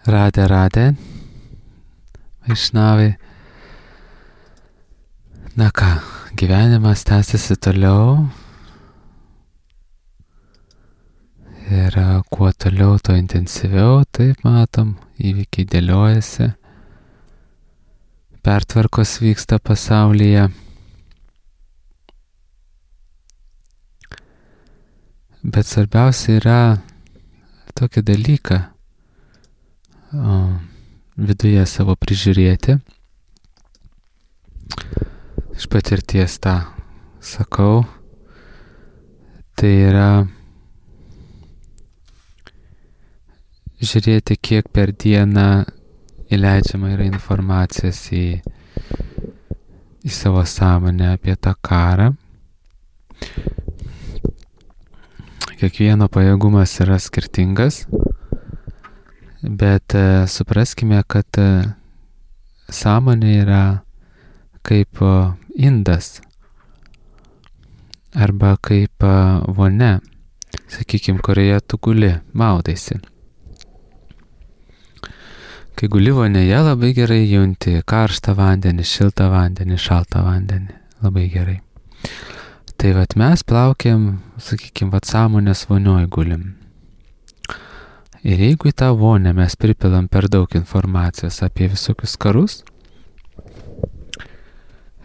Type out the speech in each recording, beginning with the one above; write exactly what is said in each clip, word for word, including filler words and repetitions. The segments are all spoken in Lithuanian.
Radė, radė, Vaišnavai. Na ką, gyvenimas tęsiasi toliau. Ir kuo toliau, tuo intensyviau, taip matom, įvykiai dėliojasi. Pertvarkos vyksta pasaulyje. Bet svarbiausia yra tokį dalyką o, viduje savo prižiūrėti. Iš patirties tą sakau. Tai yra žiūrėti, kiek per dieną įleidžiama yra informacijos į, į savo sąmonę apie tą karą. Kiekvieno pajėgumas yra skirtingas, bet e, supraskime, kad e, sąmonė yra kaip e, indas arba kaip e, vonia, sakykime, kurioje tu guli, maudaisi. Kai guli vonėje, labai gerai junti karštą vandenį, šiltą vandenį, šaltą vandenį, labai gerai. Tai vat mes plaukiam, sakykime, vat sąmonės vonioj gulim. Ir jeigu į tą vonę mes pripilam per daug informacijos apie visokius karus,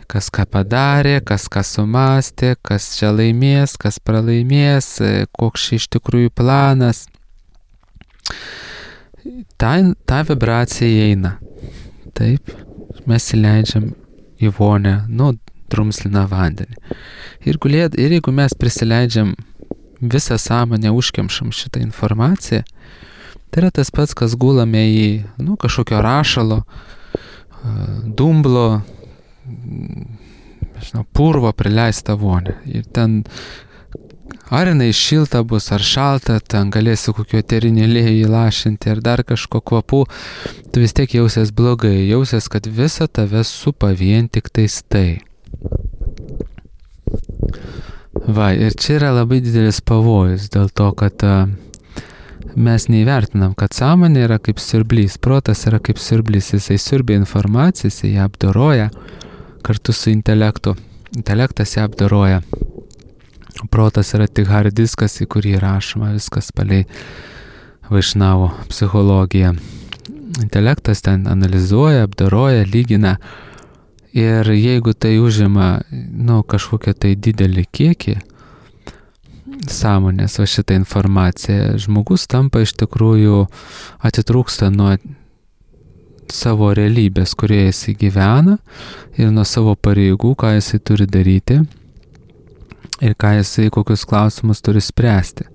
kas ką padarė, kas ką sumastė, kas čia laimės, kas pralaimės, koks čia iš tikrųjų planas, ta, ta vibracija eina. Taip, mes įleidžiam į vonę, nu, drumslina vandenį. Ir, gulėt, ir jeigu mes prisileidžiam visą sąmonę, užkemšam šitą informaciją, tai yra tas pats, kas gulame į nu, kažkokio rašalo, dumblo, žinau, purvo prileistą vonę. Ir ten, ar jinai šilta bus, ar šalta, ten galėsi kokio eterinį aliejų įlašinti, ar dar kažko kvapų, tu vis tiek jausies blogai, jausies, kad visa tave supa vien tik tais tai. Va, ir čia yra labai didelis pavojus dėl to, kad a, mes neįvertinam, kad sąmonė yra kaip siurblys, protas yra kaip siurblys, jisai siurbia informaciją, jisai ją apdoroja kartu su intelektu. Intelektas ją apdoroja. Protas yra tik hard diskas, į kurį rašoma viskas palei Vaišnavų psichologiją. Intelektas ten analizuoja, apdoroja, lygina. Ir jeigu tai užima nu, kažkokią tai didelį kiekį sąmonės, va šitą informaciją, žmogus tampa iš tikrųjų atitrūksta nuo savo realybės, kurioje jis gyvena, ir nuo savo pareigų, ką jisai turi daryti ir ką jisai, kokius klausimus turi spręsti.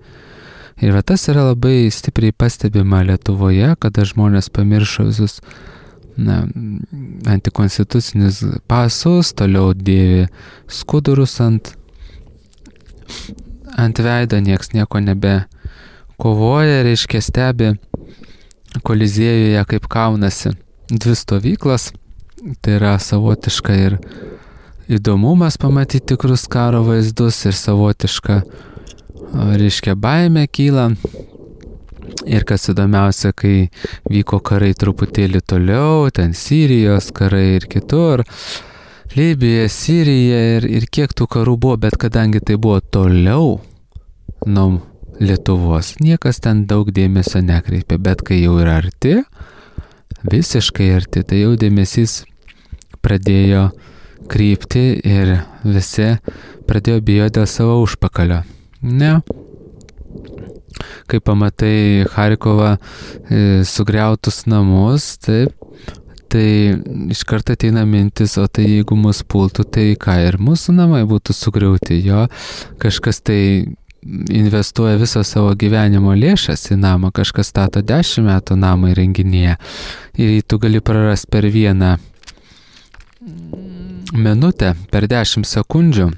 Ir va tas yra labai stipriai pastebima Lietuvoje, kada žmonės pamiršo visus na, antikonstitucinius pasus, toliau dėvi skudurus ant, ant veido, nieks nieko nebe kovoja, reiškia stebi Koliziejuje, kaip kaunasi dvi stovyklas. Tai yra savotiška ir įdomumas pamatyti tikrus karo vaizdus ir savotiška, reiškia, baimė kyla. Ir kas įdomiausia, kai vyko karai truputėlį toliau, ten Sirijos karai ir kitur, Libija, Sirija ir, ir kiek tų karų buvo, bet kadangi tai buvo toliau nuo Lietuvos, niekas ten daug dėmesio nekreipė, bet kai jau yra arti, visiškai arti, tai jau dėmesys pradėjo krypti ir visi pradėjo bijoti dėl savo užpakalio. Ne. Kai pamatai Charkovą e, sugriautus namus, taip, tai iš karto ateina mintis, o tai jeigu mus pultų, tai ką, ir mūsų namai būtų sugriauti, jo, kažkas tai investuoja visą savo gyvenimo lėšas į namą, kažkas stato dešimt metų namą įrenginėje ir tu gali prarasti per vieną minutę, per dešimt sekundžių,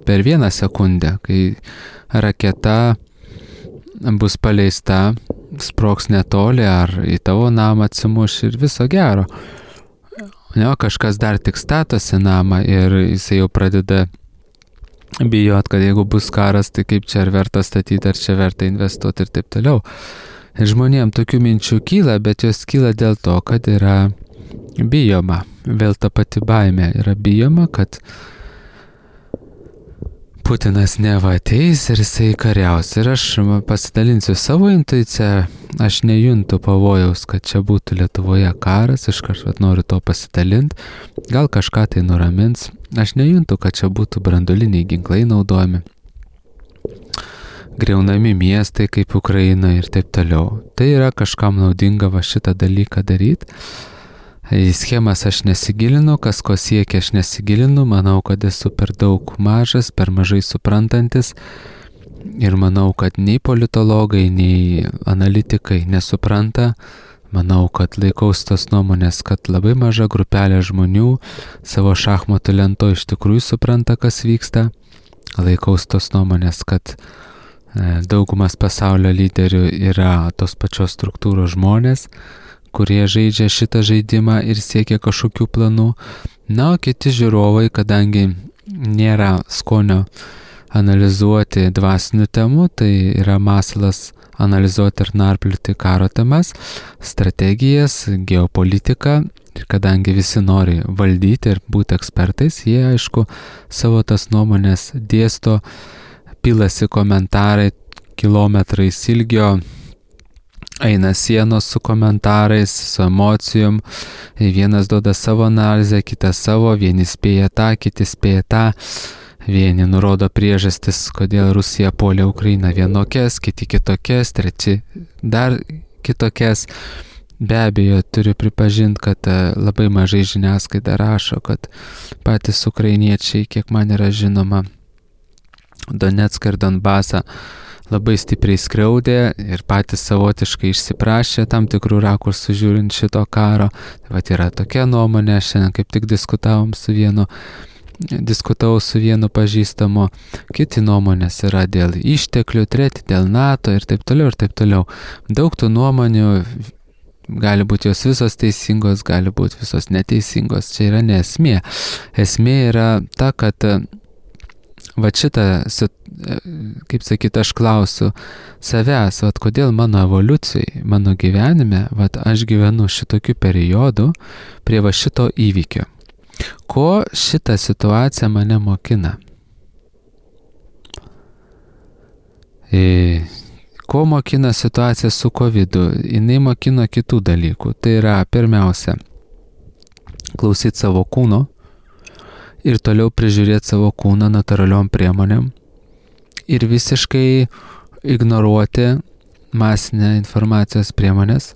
per vieną sekundę, kai raketa bus paleista, sprogs netoli ar į tavo namą atsimuš ir viso gero. Ne, kažkas dar tik statosi namą ir jisai jau pradeda bijot, kad jeigu bus karas, tai kaip čia ar verta statyti, ar čia verta investuoti ir taip toliau. Žmonėm tokių minčių kyla, bet jos kyla dėl to, kad yra bijoma. Vėl ta pati baimė yra bijoma, kad Putinas neva ateis ir jisai kariaus. Ir aš pasidalinsiu savo intuiciją, aš nejuntu pavojaus, kad čia būtų Lietuvoje karas, iš kažkart noriu to pasidalinti, gal kažką tai nuramins. Aš nejuntu, kad čia būtų branduoliniai ginklai naudojami, greunami miestai kaip Ukraina ir taip toliau. Tai yra kažkam naudinga va šitą dalyką daryti. Į schemas aš nesigilinu, kas ko siekia aš nesigilinu, manau, kad esu per daug mažas, per mažai suprantantis ir manau, kad nei politologai, nei analitikai nesupranta. Manau, kad laikaus tos nuomonės, kad labai maža grupelė žmonių savo šachmatų lento iš tikrųjų supranta, kas vyksta. Laikaus tos nuomonės, kad daugumas pasaulio lyderių yra tos pačios struktūros žmonės, kurie žaidžia šitą žaidimą ir siekia kažkokių planų. Na, o kiti žiūrovai, kadangi nėra skonio analizuoti dvasinių temų, tai yra masalas analizuoti ir narplioti karo temas, strategijas, geopolitiką. Ir kadangi visi nori valdyti ir būti ekspertais, jie, aišku, savo tas nuomonės dėsto, pilasi komentarai kilometrais ilgio, eina sienos su komentarais, su emocijom, vienas duoda savo analizę, kitas savo, vieni spėja tą, kiti spėja tą, vieni nurodo priežastis, kodėl Rusija puolė Ukrainą vienokias, kiti kitokias, treči dar kitokias. Be abejo, turiu pripažinti, kad labai mažai žiniasklaida rašo, kad patys ukrainiečiai, kiek man yra žinoma, Donetską ir Donbasą labai stipriai skriaudė ir patys savotiškai išsiprašė tam tikrų rakursų žiūrint šito karo. Tai vat yra tokia nuomonė, šiandien kaip tik diskutavom su vienu, diskutavau su vienu pažįstamu, kiti nuomonės yra dėl išteklių, treti dėl NATO ir taip toliau ir taip toliau. Daug tų nuomonių, gali būti jos visos teisingos, gali būti visos neteisingos, čia yra ne esmė. Esmė yra ta, kad va šitą, kaip sakyt, aš klausiu savęs, va kodėl mano evoliucijai, mano gyvenime, va aš gyvenu šitokiu periodu prie va šito įvykio. Ko šitą situaciją mane mokina? E, ko mokina situacija su kovidu? Jinai mokina kitų dalykų. Tai yra pirmiausia, klausyti savo kūno, ir toliau prižiūrėti savo kūną natūraliom priemonėm ir visiškai ignoruoti masinę informacijos priemonės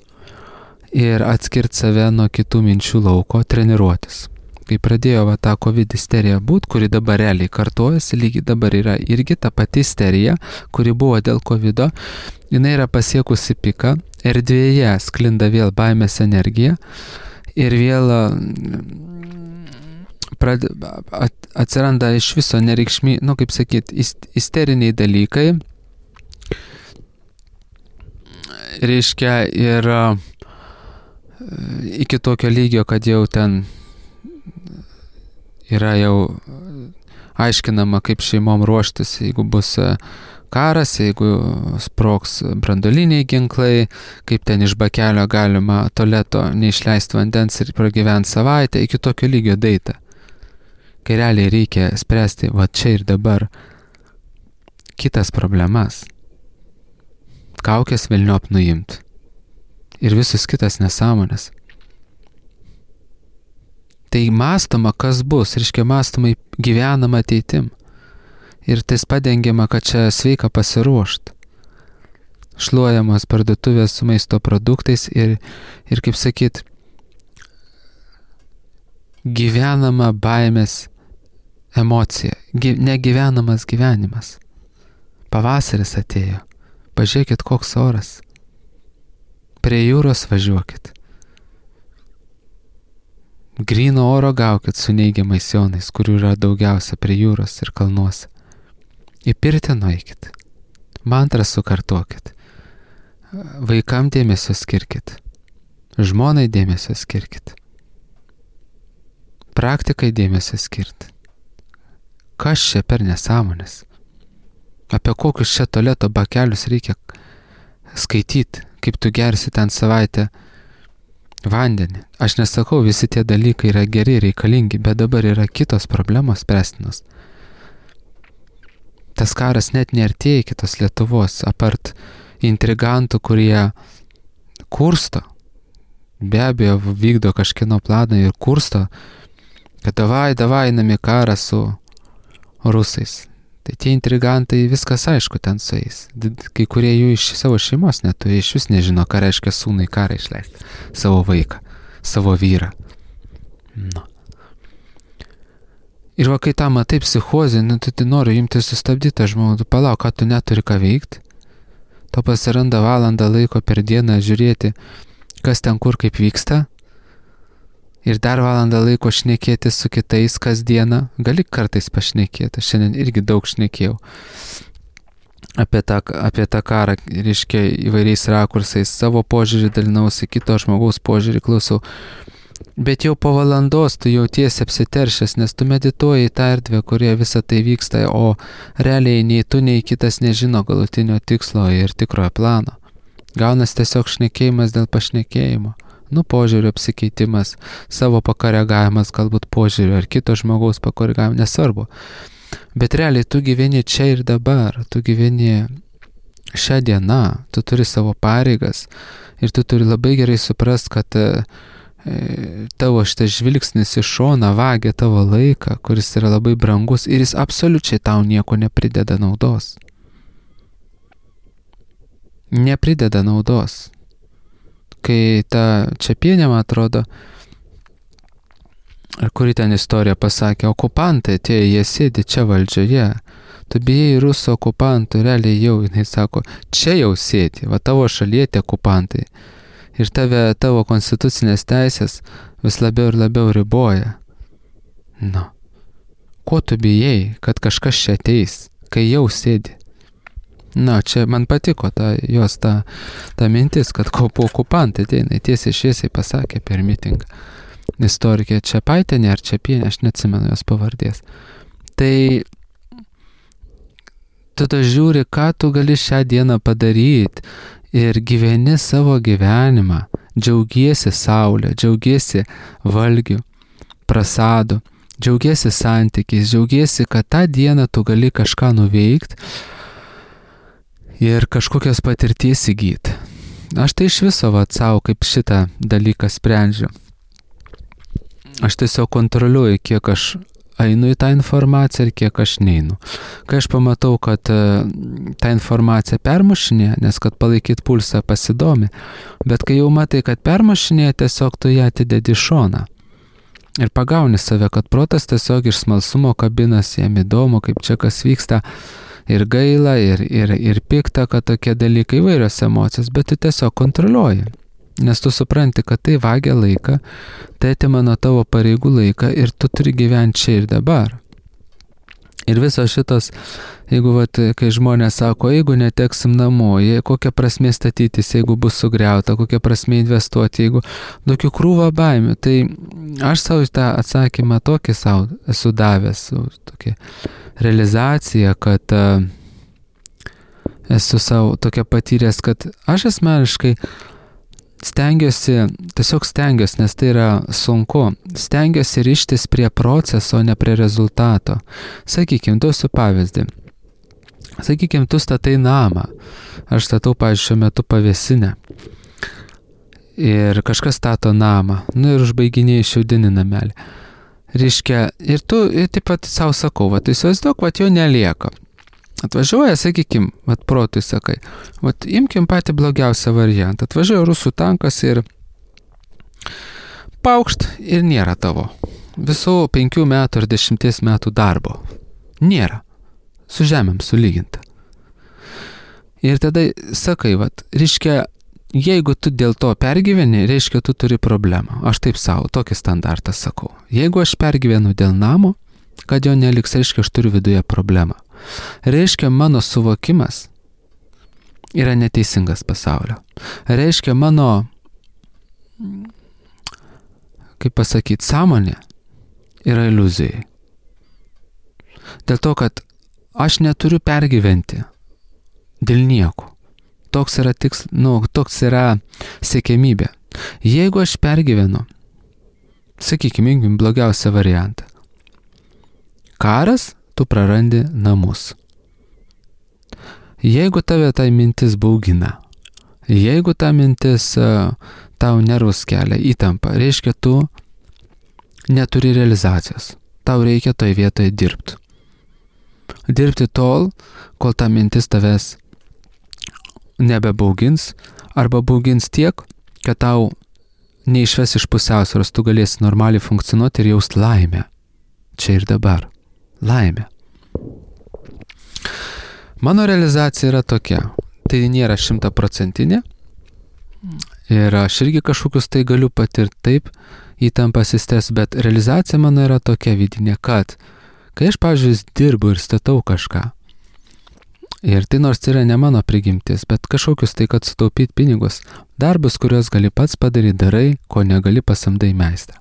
ir atskirti save nuo kitų minčių lauko, treniruotis. Kai pradėjo va tą COVID isterija būt, kuri dabar realiai kartojasi, lygiai dabar yra irgi ta pati isterija, kuri buvo dėl COVIDo, jinai yra pasiekusi piką, erdvėje sklinda vėl baimės energija ir vėl Prad, at, atsiranda iš viso nereikšmi, nu kaip sakyt, isteriniai dalykai, reiškia ir iki tokio lygio, kad jau ten yra jau aiškinama, kaip šeimom ruoštis, jeigu bus karas, jeigu sprogs branduoliniai ginklai, kaip ten iš bakelio galima tualeto neišleisti vandens ir pragyventi savaitę, iki tokio lygio daita. Kai realiai reikia spręsti va čia ir dabar kitas problemas. Kaukės velniop nuimt. Ir visus kitas nesąmonės. Tai mąstoma, kas bus, reiškia mąstoma gyvenama ateitim. Ir tais padengiama, kad čia sveika pasiruošti. Šluojamos parduotuvės su maisto produktais ir, ir kaip sakyt, gyvenama baimės emocija, Gy, negyvenamas gyvenimas. Pavasaris atėjo. Pažiūrėkit, koks oras. Prie jūros važiuokit. Gryno oro gaukit su neigiamais jonais, kurių yra daugiausia prie jūros ir kalnuose. Į pirtį nueikit. Mantrą sukartokit. Vaikam dėmesio skirkit. Žmonai dėmesio skirkit. Praktikai dėmesio skirti. Kas čia per nesąmonės? Apie kokius čia tualeto bakelius reikia skaityti? kaip tu gersi ten savaitę vandenį. Aš nesakau, visi tie dalykai yra geri, reikalingi, bet dabar yra kitos problemos spręstinos. Tas karas net neartėja iki tos Lietuvos, apart intrigantų, kurie kursto, be abejo vykdo kažkieno planą ir kursto, kad davai, davai einame karą su rusais. Tai tie intrigantai, viskas aišku ten su jais. Kai kurie jų iš savo šeimos neturi, iš vis nežino, ką reiškia sūnui karą išleisti. Savo vaiką, savo vyrą. Nu. Ir va, kai tą matai psichozę, nu, tai, tai noriu imti sustabdyti tą žmogų, tu palauk, ką tu neturi ką veikti. To pasiranda valandą laiko per dieną žiūrėti, kas ten kur kaip vyksta. Ir dar valandą laiko šnekėti su kitais kasdieną. Gali kartais pašnekėti. Aš šiandien irgi daug šnekėjau apie tą, apie tą karą, reiškia įvairiais rakursais. Savo požiūrį dalinausi, kito žmogaus požiūrį klausau. Bet jau po valandos tu jautiesi apsiteršęs, nes tu medituoji į tą erdvę, kurioje visa tai vyksta, o realiai nei tu, nei kitas nežino galutinio tikslo ir tikrojo plano. Gaunas tiesiog šnekėjimas dėl pašnekėjimo. Nu, požiūrių apsikeitimas, savo pakoregavimas, galbūt požiūrių ar kito žmogaus pakoregavimas, nesvarbu. Bet realiai tu gyveni čia ir dabar, tu gyveni šią dieną, tu turi savo pareigas ir tu turi labai gerai suprast, kad e, tavo šitas žvilgsnis iš šono vagia tavo laiką, kuris yra labai brangus ir jis absoliučiai tau nieko neprideda naudos. Neprideda naudos. Kai ta Čepienė, man atrodo, ar kuri ten istorija pasakė, okupantai atėjo, jie sėdi čia valdžioje, tu bijai rusų okupantų, realiai jau, jinai sako, čia jau sėdi, va tavo šalyje tie okupantai. Ir tave, tavo konstitucinės teisės vis labiau ir labiau riboja. Nu, ko tu bijai, kad kažkas čia ateis, kai jau sėdi? Na, čia man patiko ta, jos ta, ta mintis, kad po okupantai ateina, tiesiai šviesiai pasakė per mitingą. Istorikė Čepaitienė ar Čepienė, aš neatsimenu jos pavardės. Tai tu ta žiūri, ką tu gali šią dieną padaryti ir gyveni savo gyvenimą, džiaugiesi saulę, džiaugiesi valgiu, prasadu, džiaugiesi santykiais, džiaugiesi, kad tą dieną tu gali kažką nuveikti, ir kažkokios patirties įgyti. Aš tai iš viso vat savo kaip šitą dalyką sprendžiu. Aš tiesiog kontroliuoju, kiek aš einu į tą informaciją ir kiek aš neinu. Kai aš pamatau, kad uh, tą informaciją permušinė, nes kad palaikyti pulsą pasidomi, bet kai jau matai, kad permušinė, tiesiog tu ją atidedi šoną. Ir pagauni save, kad protas tiesiog iš smalsumo kabinas, jam įdomu, kaip čia kas vyksta, ir gaila, ir, ir, ir pikta, kad tokie dalykai įvairios emocijos, bet tu tiesiog kontroliuoji. Nes tu supranti, kad tai vagia laiką, tai atima nuo tavo pareigų laiką ir tu turi gyventi čia ir dabar. Ir visos šitos, jeigu, vat, kai žmonės sako, jeigu neteksim namų, kokia prasmė statytis, jeigu bus sugriauta, kokia prasmė investuoti, jeigu tokių krūvą baimių, tai aš savo tą atsakymą tokį savo esu davęs, tokį realizacija, kad uh, esu savo tokia patyręs, kad aš asmeniškai stengiuosi, tiesiog stengiuosi, nes tai yra sunku, stengiuosi rištis prie proceso, ne prie rezultato. Sakykime, duosiu pavyzdį. Sakykime, tu statai namą. Aš statau, pavyzdžiui, šiuo metu pavėsinę. Ir kažkas stato namą. Nu ir užbaiginėjai šiaudinį namelį. Reiškia, ir tu ir taip pat savo sakau, va, tu įsivaizduok, va, jo nelieka. Atvažiuoja, sakykim, va, protui sakai, va, imkim patį blogiausią variantą. Atvažiuoja rusų tankas ir paukšt ir nėra tavo. Visų penkių metų ar dešimties metų darbo. Nėra. Su žemėm sulyginta. Ir tada sakai, va, reiškia, jeigu tu dėl to pergyveni, reiškia, tu turi problemą. Aš taip savo, tokį standartą sakau. Jeigu aš pergyvenu dėl namo, kad jo neliks, reiškia, aš turiu viduje problemą. Reiškia, mano suvokimas yra neteisingas pasaulio. Reiškia, mano, kaip pasakyti, sąmonė yra iliuzijai. Dėl to, kad aš neturiu pergyventi dėl nieko. toks yra tiks, nu, toks yra siekiamybė. Jeigu aš pergyvenu, sakykime, imkim blogiausią variantą. Karas, tu prarandi namus. Jeigu tave tai mintis baugina, jeigu ta mintis uh, tau nervus kelia, įtampa, reiškia, tu neturi realizacijos. Tau reikia toj vietoje dirbti. Dirbti tol, kol ta mintis tavęs nebebaugins, arba baugins tiek, kad tau neišves iš pusiausvyros, tu galėsi normaliai funkcionuoti ir jaust laimę. Čia ir dabar. Laimė. Mano realizacija yra tokia. Tai nėra šimtaprocentinė. Ir aš irgi kažkokius tai galiu patirti taip, įtampas įstes, bet realizacija mano yra tokia vidinė, kad kai aš, pavyzdžiui, dirbu ir statau kažką, ir tai nors yra ne mano prigimtis, bet kažkokius tai, kad sutaupyti pinigus, darbus, kuriuos gali pats padaryti, darai, ko negali pasamdai meistrą.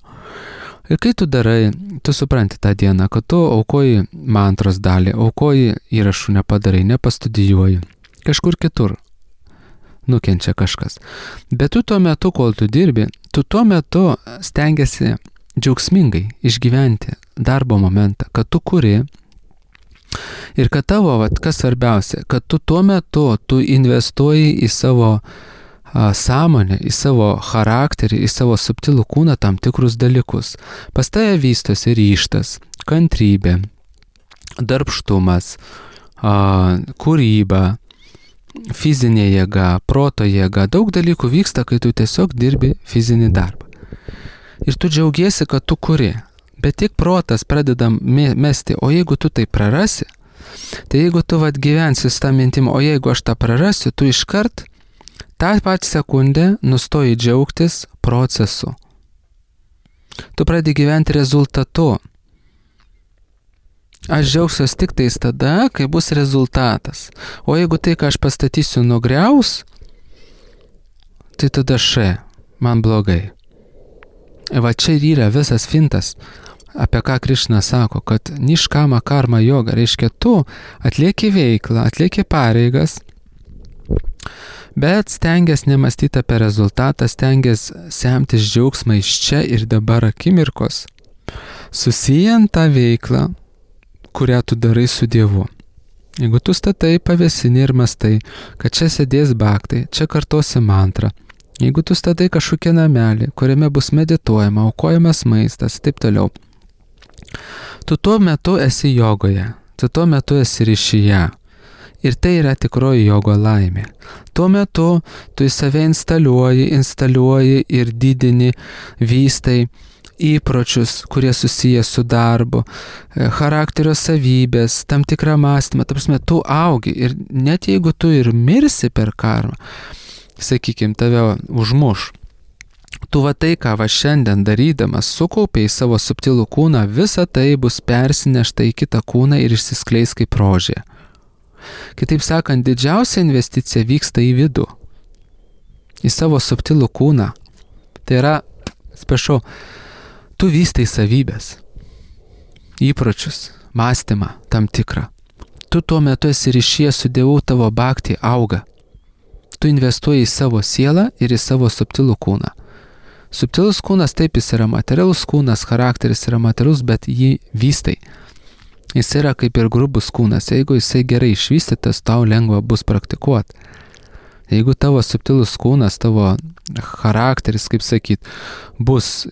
Ir kai tu darai, tu supranti tą dieną, kad tu aukoji mantros dalį, aukoji įrašų nepadarai, nepastudijuoji, kažkur kitur nukenčia kažkas. Bet tu tuo metu, kol tu dirbi, tu tuo metu stengiasi džiaugsmingai išgyventi darbo momentą, kad tu kuri ir kad tavo, vat, kas svarbiausia, kad tu tuo metu tu investuoji į savo a, sąmonę, į savo charakterį, į savo subtilų kūną tam tikrus dalykus. Pas tave vystosi ryžtas, kantrybė, darbštumas, a, kūryba, fizinė jėga, proto jėga, daug dalykų vyksta, kai tu tiesiog dirbi fizinį darbą. Ir tu džiaugiesi, kad tu kuri, bet tik protas pradeda mesti, o jeigu tu tai prarasi, tai jeigu tu vat gyvensi su tą mintim, o jeigu aš tą prarasiu, tu iškart tą pačią sekundę nustoji džiaugtis procesu. Tu pradedi gyventi rezultatu. Aš džiaugsiuos tik tais tada, kai bus rezultatas. O jeigu tai, ką aš pastatysiu, nugriaus, tai tada še, man blogai. Va čia ir yra visas fintas, apie ką Krišna sako, kad niškama karma joga, reiškia tu atlieki veiklą, atlieki pareigas, bet stengias nemastyti apie rezultatą, stengias semtis džiaugsmą iš čia ir dabar akimirkos, susijant tą veiklą, kurią tu darai su Dievu. Jeigu tu statai pavėsinį ir mastai, kad čia sėdės bhaktai, čia kartosi mantrą, jeigu tu statai kažkokią namelį, kuriame bus medituojama, aukojamas maistas, taip toliau, tu tuo metu esi jogoje, tu tuo metu esi ryšyje. Ir tai yra tikroji jogo laimė. Tuo metu tu į save instaliuoji, instaliuoji ir didini, vystai įpročius, kurie susiję su darbu, charakterio savybės, tam tikrą mąstymą, ta prasme, tu augi ir net jeigu tu ir mirsi per karmą, sakykime, tave užmuš, tu va tai, ką va šiandien darydamas, sukaupiai savo subtilų kūną, visa tai bus persinešta į kitą kūną ir išsiskleis kaip rožė. Kitaip sakant, didžiausia investicija vyksta į vidų, į savo subtilų kūną. Tai yra, sprašau, tu vystai savybės, įpročius, mąstymą tam tikrą. Tu tuo metu esi ryšyje su Dievu, tavo bhakti auga. Tu investuoji į savo sielą ir į savo subtilų kūną. Subtilus kūnas, taip, jis yra materialus kūnas, charakteris yra materialus, bet jį vystai. Jis yra kaip ir grubus kūnas. Jeigu jisai gerai išvystytas, tau lengva bus praktikuoti. Jeigu tavo subtilus kūnas, tavo charakteris, kaip sakyt, bus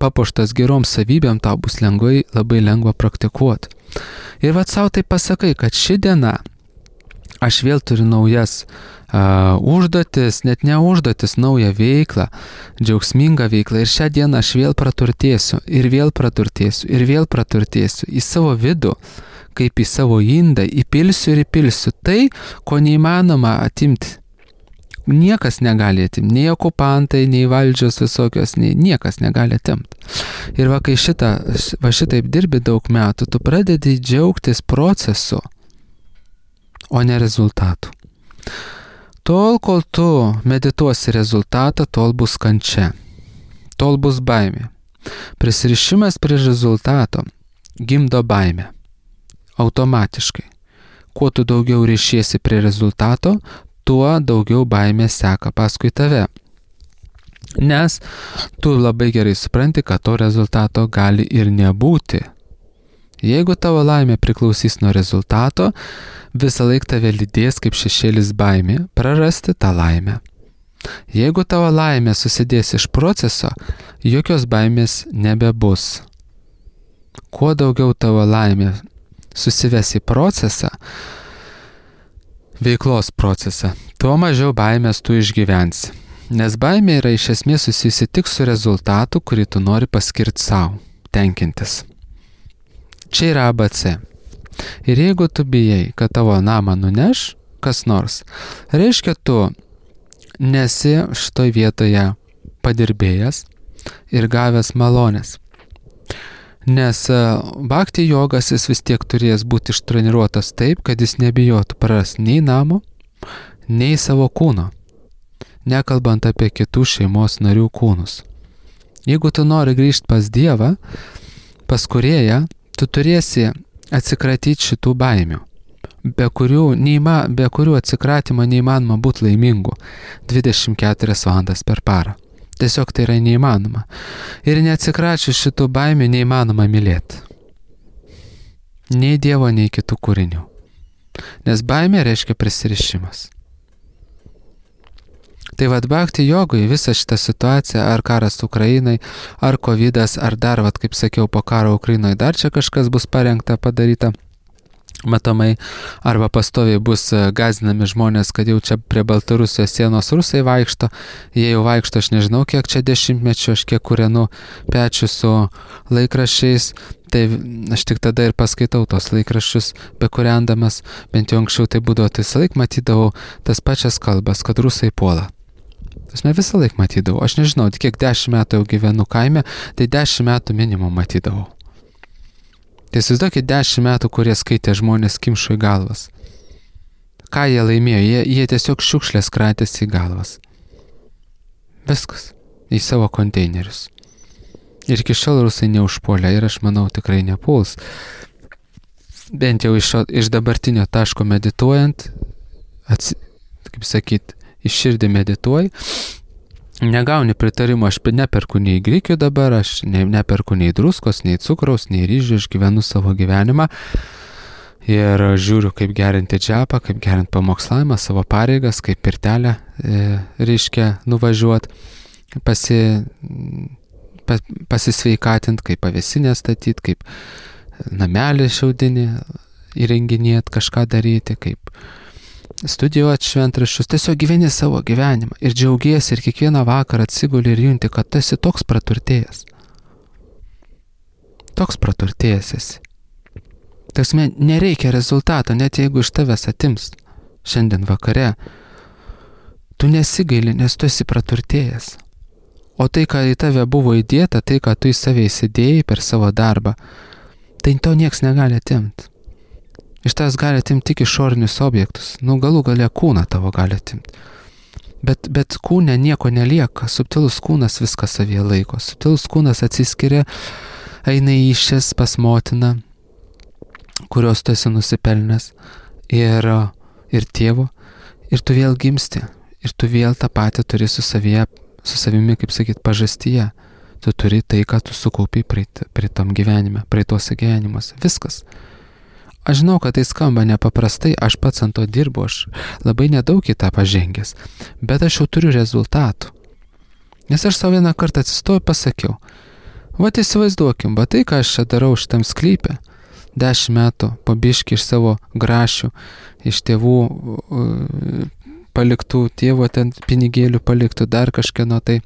papuoštas gerom savybėm, tau bus lengvai, labai lengva praktikuoti. Ir vat savo tai pasakai, kad ši diena aš vėl turiu naujas uh, užduotis, net ne užduotis, naują veiklą, džiaugsmingą veiklą. Ir šią dieną aš vėl praturtėsiu, ir vėl praturtėsiu, ir vėl praturtėsiu į savo vidų, kaip į savo indą, įpilsiu ir įpilsiu tai, ko neįmanoma atimti. Niekas negali atimti, nei okupantai, nei valdžios visokios, nei niekas negali atimti. Ir va, kai šitą, va šitaip dirbi daug metų, tu pradedi džiaugtis procesu, o ne rezultatų. Tol, kol tu medituosi rezultatą, tol bus kančia, tol bus baimė. Prisirišimas prie rezultato gimdo baimę. Automatiškai. Kuo tu daugiau ryšiesi prie rezultato, tuo daugiau baimės seka paskui tave. Nes tu labai gerai supranti, kad to rezultato gali ir nebūti. Jeigu tavo laimė priklausys nuo rezultato, visą laiką tave lydės kaip šešėlis baimė prarasti tą laimę. Jeigu tavo laimė susidės iš proceso, jokios baimės nebebus. Kuo daugiau tavo laimė susives į procesą, veiklos procesą, tuo mažiau baimės tu išgyvensi. Nes baimė yra iš esmės susijusi tik su rezultatu, kurį tu nori paskirti savo, tenkintis. Čia yra A B C. Ir jeigu tu bijai, kad tavo namą nuneš kas nors, reiškia tu nesi šitoj vietoje padirbėjęs ir gavęs malonės. Nes bhakti jogas jis vis tiek turės būti ištreniruotas taip, kad jis nebijotų prarasti nei namo, nei savo kūno, nekalbant apie kitų šeimos narių kūnus. Jeigu tu nori grįžti pas Dievą, pas Kūrėją, tu turėsi atsikratyti šitų baimių, be kurių, neįma, be kurių atsikratymo neįmanoma būti laimingu dvidešimt keturias valandas per parą. Tiesiog tai yra neįmanoma. Ir neatsikračius šitų baimių neįmanoma mylėti. Nei Dievo, nei kitų kūrinių. Nes baimė reiškia prisirišimas. Tai vad bhakti jogui visą šitą situaciją, ar karas Ukrainai, ar kovidas, ar dar, vad kaip sakiau, po karo Ukrainoje dar čia kažkas bus parengta, padaryta, matomai, arba pastoviai bus gąsdinami žmonės, kad jau čia prie Baltarusijos sienos rusai vaikšto, jie jau vaikšto, aš nežinau, kiek čia dešimtmečių, aš kiek kūrenu pečių su laikraščiais, tai aš tik tada ir paskaitau tos laikraščius, bekūrendamas, bent jau anksčiau tai būdavo, tai visą laik matydavau tas pačias kalbas, kad rusai puola. Aš ne visą laik matydavau, aš nežinau, kiek dešimt metų jau gyvenu kaime, tai dešimt metų minimum matydavau. Tai įsivaizduokit dešimt metų, kurie skaitė žmonės kimšo į galvas. Ką jie laimėjo? Jie, jie tiesiog šiukšlės kratėsi į galvas. Viskas. Į savo konteinerius. Ir iki šiol rusai neužpuolė ir aš manau tikrai nepuls. Bent jau iš, iš dabartinio taško medituojant, ats, kaip sakyt, iš širdį medituoji, negauni pritarimo, aš neperku nei grikių dabar, aš ne, neperku nei druskos, nei cukraus, nei ryžių, aš gyvenu savo gyvenimą ir žiūriu, kaip gerinti džapą, kaip gerinti pamokslavimą, savo pareigas, kaip pirtelę e, reiškia nuvažiuoti, pasi, pas, pasisveikatinti, kaip pavėsinę statyti, kaip namelį šiaudinį įrenginėti, kažką daryti, kaip studijuoti šventraščius, tiesiog gyveni savo gyvenimą ir džiaugiesi ir kiekvieną vakarą atsiguli ir junti, kad tu esi toks praturtėjęs. Toks praturtėjęs esi. Taksime, nereikia rezultato, net jeigu iš tavęs atims šiandien vakare. Tu nesigaili, nes tu esi praturtėjęs. O tai, ką į tave buvo įdėta, tai, ką tu į save įsidėjai per savo darbą, tai to nieks negali atimti. Iš tavęs gali atimti tik išorinius objektus. Nu, galų gale kūną tavo gali atimti. Bet, bet kūne nieko nelieka. Subtilus kūnas viską savyje laiko. Subtilus kūnas atsiskiria, eina į išės pas motiną, kurios tu esi nusipelnęs, ir, ir tėvo, ir tu vėl gimsti. Ir tu vėl tą patį turi su savyje, su savimi, kaip sakyt, pažastyje. Tu turi tai, ką tu sukaupi prie, prie tam gyvenime, prie tuose gyvenimuose. Viskas. Aš žinau, kad tai skamba nepaprastai, aš pats ant to dirbu, aš labai nedaug į tą pažengęs, bet aš jau turiu rezultatų. Nes aš savo vieną kartą atsistoju ir pasakiau, vat įsivaizduokim, va tai, ką aš čia darau šitam sklype, dešimt metų po biškį iš savo grašių, iš tėvų paliktų, tėvo ten pinigėlių paliktų, dar kažkieno tai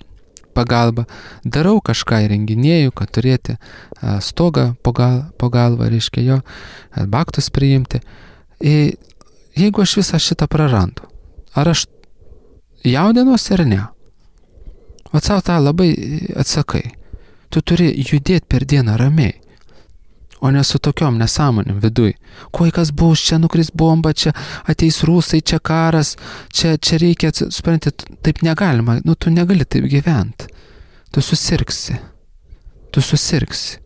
pagalba, darau kažką įrenginėjau, kad turėti stogą po, gal, po galvą, reiškia jo, baktus priimti. Ir jeigu aš visą šitą prarandu, ar aš jaudinuosi ar ne? Vat savo tą labai atsakai. Tu turi judėti per dieną ramiai, o ne su tokiom nesąmonėm viduj. Kuo kas bus, čia nukris bomba, čia ateis rusai, čia karas, čia, čia reikia, supranti, taip negalima, nu tu negali taip gyventi. Tu susirgsi. Tu susirgsi.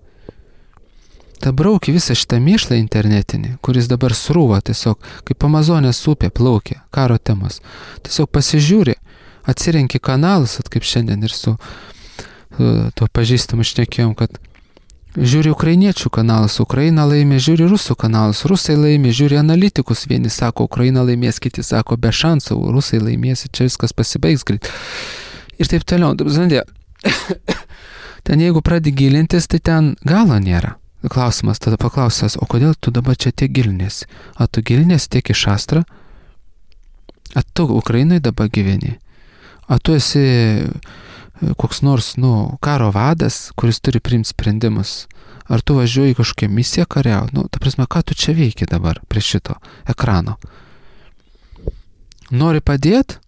Ta brauki visą šitą mėšlą internetinį, kuris dabar srūva tiesiog, kaip Amazonės upė plaukia, karo temos. Tiesiog pasižiūri, atsirenki kanalus, at kaip šiandien ir su tuo pažįstamu šnekėjom, kad žiūri ukrainiečių kanalus, Ukraina laimė, žiūri rusų kanalus, rusai laimė, žiūri analitikus, vieni sako, Ukraina laimės, kiti sako, be šansų, rusai laimės, čia viskas pasibaigs greit. Ir taip toliau, žinai, ten jeigu pradedi gilintis, tai ten galo nėra. Klausimas, tada paklausęs, o kodėl tu dabar čia tiek gilinėsi? A tu gilinėsi tiek į šastrą? A tu Ukrainai dabar gyveni? A tu esi koks nors, nu, karo vadas, kuris turi priimti sprendimus? Ar tu važiuoji kažkokią misiją kariauti? Nu, ta prasme, ką tu čia veiki dabar prie šito ekrano? Nori padėti?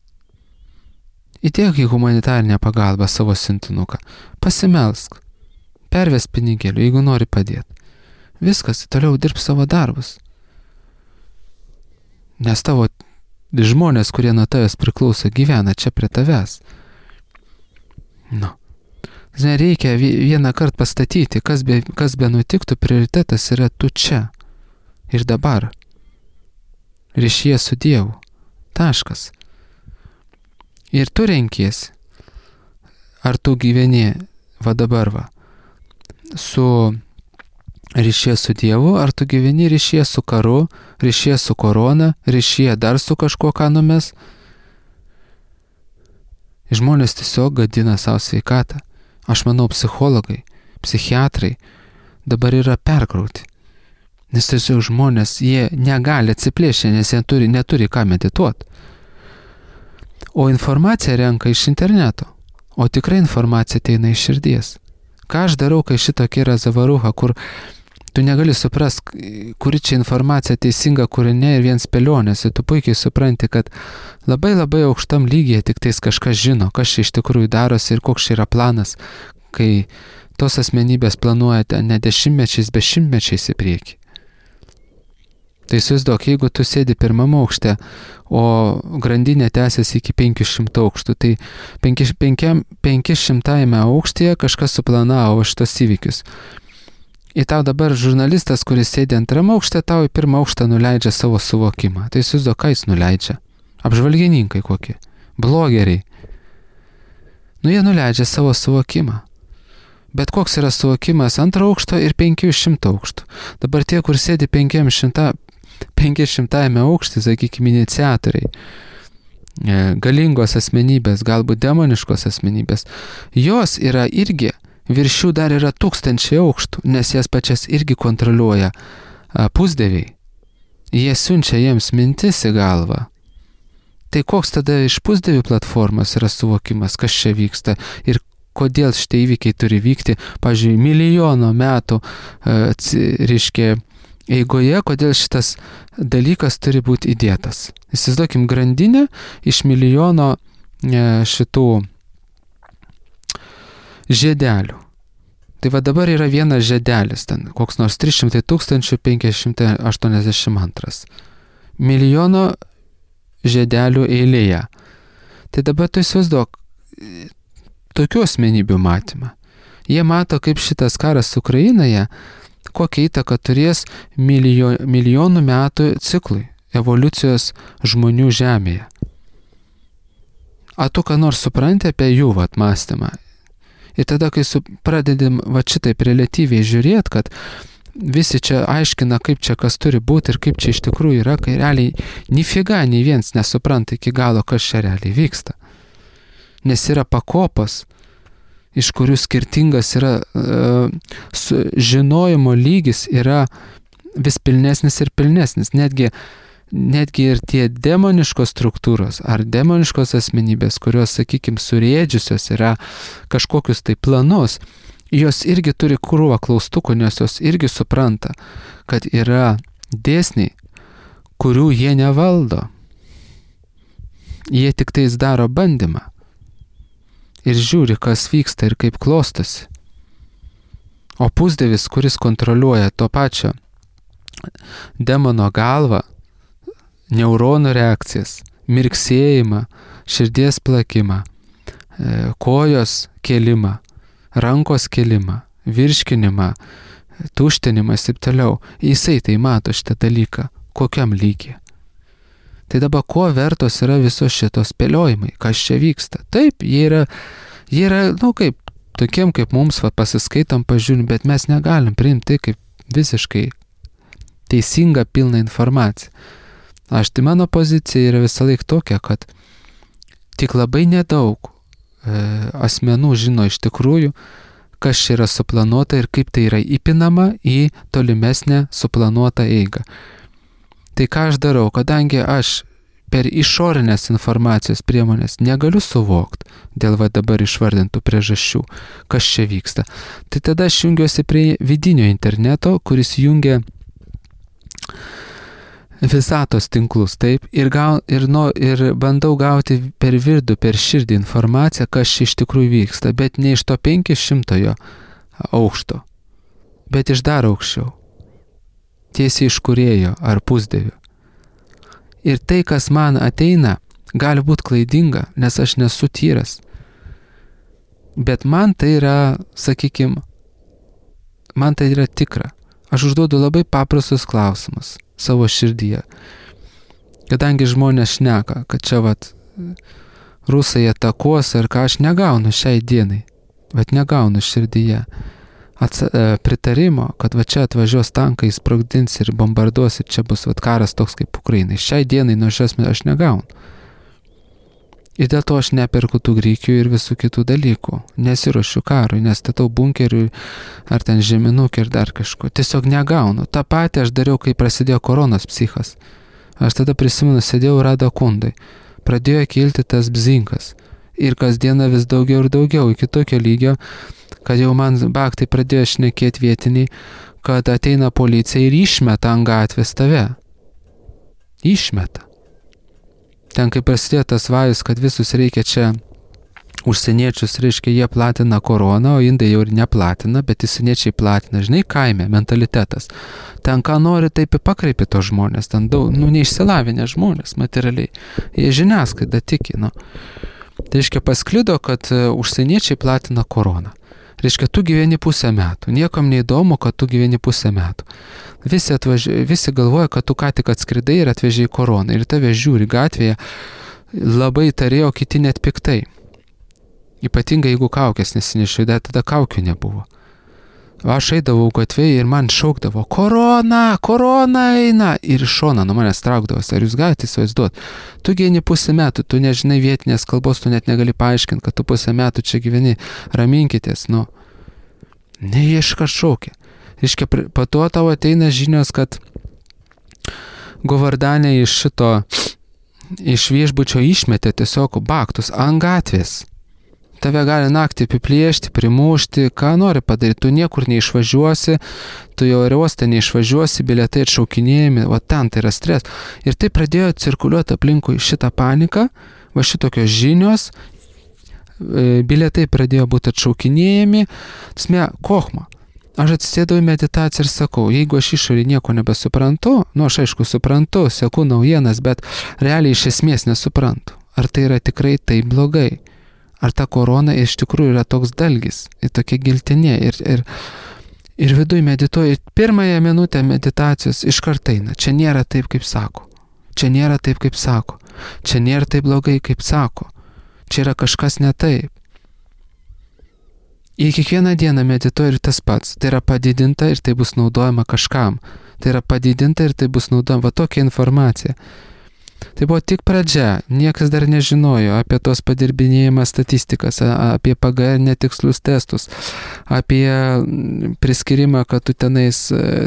Įdėk į humanitarinę pagalbą savo sintinuką. Pasimelsk. Perves pinigėlių, jeigu nori padėti. Viskas, toliau dirb savo darbus. Nes tavo žmonės, kurie nuo tavęs priklauso, gyvena čia prie tavęs. Nu. Žinai, reikia vieną kartą pastatyti, kas be, kas be nutiktų, prioritetas yra tu čia. Ir dabar. Ryšyje su Dievu. Taškas. Ir tu renkiesi. Ar tu gyveni, va dabar va, su ryšyje su Dievu, ar tu gyveni ryšyje su karu, ryšyje su korona, ryšyje dar su kažkuo, ką numes. Žmonės tiesiog gadina savo sveikatą. Aš manau, psichologai, psichiatrai dabar yra perkrauti. Nes tiesiog žmonės, jie negali atsiplėšti, nes jie turi, neturi ką medituoti. O informaciją renka iš interneto. O tikrai informacija ateina iš širdies. Ką aš darau, kai šitokia yra zavaruha, kur tu negali suprast, kuri čia informacija teisinga, kuri ne, ir vien spėlionės. Ir tu puikiai supranti, kad labai labai aukštam lygyje tik tais kažkas žino, kas čia iš tikrųjų darosi ir koks čia yra planas, kai tos asmenybės planuoja ne dešimtmečiais, bet šimtmečiais į priekį. Tai įsivaizduok, jeigu tu sėdi pirmame aukšte, o grandinė tęsiasi iki penkių šimtų aukštų, tai penki šimtajame aukštyje kažkas suplanavo šitos įvykius. Ir tau dabar žurnalistas, kuris sėdi antrame aukšte, tau į pirmą aukštą nuleidžia savo suvokimą. Tai įsivaizduok, ką jis nuleidžia? Apžvalgininkai kokie, blogeriai. Nu, jie nuleidžia savo suvokimą. Bet koks yra suvokimas antro aukšto ir penkių šimtų aukštų. Dabar tie, kur sėdi penki šimtajame aukštį, sakykime, iniciatoriai, galingos asmenybės, galbūt demoniškos asmenybės, jos yra irgi, virš jų dar yra tūkstančiai aukštų, nes jas pačias irgi kontroliuoja pusdieviai. Jie siunčia jiems mintis į galvą. Tai koks tada iš pusdievių platformos yra suvokimas, kas čia vyksta ir kodėl šitie įvykiai turi vykti, pavyzdžiui, milijono metų, reiškia, eigoje, kodėl šitas dalykas turi būti įdėtas. Įsivaizduokim grandinę iš milijono šitų žiedelių. Tai va dabar yra vienas žiedelis, ten koks nors trys šimtai tūkstančių penki šimtai aštuoniasdešimt antras. Milijono žiedelių eilėje. Tai dabar tu įsivaizduok tokių asmenybių matymą. Jie mato, kaip šitas karas Ukrainoje, kokią įtaką turės milijo, milijonų metų ciklui, evoliucijos žmonių žemėje. A tu ką nors supranti apie jų vat mąstymą? Ir tada, kai su, pradedam va šitaip relatyviai žiūrėti, kad visi čia aiškina, kaip čia kas turi būti ir kaip čia iš tikrųjų yra, kai realiai nifiga nei viens nesupranta iki galo, kas čia realiai vyksta. Nes yra pakopos, iš kurių skirtingas yra uh, žinojimo lygis yra vis pilnesnis ir pilnesnis. Netgi, netgi ir tie demoniškos struktūros ar demoniškos asmenybės, kurios, sakykime, surėdžiusios yra kažkokius tai planus, jos irgi turi krūvą klaustukų, nes jos irgi supranta, kad yra dėsniai, kurių jie nevaldo. Jie tik tais daro bandymą. Ir žiūri, kas vyksta ir kaip klostosi. O pusdievis, kuris kontroliuoja to pačio demono galvą, neuronų reakcijas, mirksėjimą, širdies plakimą, kojos kėlimą, rankos kėlimą, virškinimą, tuštinimas ir toliau. Jisai tai mato šitą dalyką. Kokiam lygiai. Tai dabar ko vertos yra visos šitos spėliojimai, kas čia vyksta. Taip, jie yra, jie yra, nu kaip, tokiem kaip mums va, pasiskaitom, pažiūrim, bet mes negalim priimti kaip visiškai teisingą pilną informaciją. Aš tai mano pozicija yra visą laik tokia, kad tik labai nedaug e, asmenų žino iš tikrųjų, kas čia yra suplanuota ir kaip tai yra įpinama į tolimesnę suplanuotą eigą. Tai ką aš darau, kadangi aš per išorinės informacijos priemonės negaliu suvokti dėl va dabar išvardintų priežasčių, kas čia vyksta. Tai tada aš jungiuosi prie vidinio interneto, kuris jungia visatos tinklus, taip, ir, gau, ir, no, ir bandau gauti per vidų, per širdį informaciją, kas čia iš tikrųjų vyksta, bet ne iš to penkišimtojo aukšto, bet iš dar aukščiau, tiesiai iš kūrėjo ar pusdievių. Ir tai, kas man ateina, gali būti klaidinga, nes aš nesu tyras. Bet man tai yra, sakykime, man tai yra tikra. Aš užduodu labai paprastus klausimus savo širdyje. Kadangi žmonės šneka, kad čia vat rusai atakuos ar ką, aš negaunu šiai dienai, bet negaunu širdyje Atsa, pritarimo, kad va čia atvažiuos tankai, sprogdins ir bombarduos ir čia bus vat karas toks kaip Ukrainai. Šiai dienai nuo šios aš negaunu. Ir dėl to aš neperku tų grikių ir visų kitų dalykų. Nesiruošiu karui, nestatau bunkerių ar ten žeminukį ir dar kažko. Tiesiog negaunu. Ta pati aš dariau, kai prasidėjo koronos psichas. Aš tada prisimenu, sėdėjau Rado Kundai. Pradėjo kilti tas bzinkas. Ir kasdieną vis daugiau ir daugiau, iki tokio lygio, kad jau man baktai pradėjo šnekėti vietiniai, kad ateina policija ir išmeta ant gatvės tave. Išmeta. Ten, kai prasidėjo tas vajus, kad visus reikia čia užsieniečius, reiškia, jie platina koroną, o indai jau ir neplatina, bet įsieniečiai platina. Žinai, kaime, mentalitetas. Ten, ką nori, taip ir pakreipi tos žmonės. Ten daug, nu, neišsilavinę žmonės, materialiai. Jie žiniasklaida tiki, nu. Tai reiškia, pasklido, kad užsieniečiai platina koroną. Reiškia, tu gyveni pusę metų. Niekam neįdomu, kad tu gyveni pusę metų. Visi, atvaži... Visi galvoja, kad tu ką tik atskridai ir atvežiai koroną. Ir tave žiūri gatvėje, labai tarėjo, kiti net piktai. Ypatingai, jeigu kaukės nesinešiu, tada kaukių nebuvo. Aš eidavau gatvėje ir man šaukdavo, korona, korona eina. Ir iš šono nuo manęs traukdavos. Ar jūs galite įsivaizduoti? Tu gyveni pusę metų, tu nežinai vietinės kalbos, tu net negali paaiškinti, kad tu pusę metų čia gyveni. Raminkitės, nu. Ne, jie iškart šaukia. Iškia, po to tau ateina žinios, kad Govardanė iš šito, iš viešbučio išmetė tiesiog baktus ant gatvės. Tave gali naktį apiplėšti, primušti, ką nori padaryti, tu niekur neišvažiuosi, tu jau aerouoste neišvažiuosi, bilietai atšaukinėjami, va ten tai yra stres. Ir tai pradėjo cirkuliuoti aplinkui šitą paniką, va šitokios žinios, bilietai pradėjo būti atšaukinėjami, tasme, kochma. Aš atsisėdau į meditaciją ir sakau, jeigu aš išorį nieko nebesuprantu, nu aš aišku suprantu, seku naujienas, bet realiai iš esmės nesuprantu. Ar tai yra tikrai taip blogai? Ar ta korona iš tikrųjų yra toks dalgis, ir tokia giltinė, ir, ir, ir viduj medituoju, pirmąją minutę meditacijos iš karto eina, čia nėra taip, kaip sako, čia nėra taip, kaip sako, čia nėra taip blogai, kaip sako, čia yra kažkas ne taip. Ir kiekvieną dieną medituoju ir tas pats, tai yra padidinta ir tai bus naudojama kažkam, tai yra padidinta ir tai bus naudojama, va tokia informacija. Tai buvo tik pradžia, niekas dar nežinojo apie tos padirbinėjimą statistikas, apie P G R netikslius testus, apie priskirimą, kad tu tenais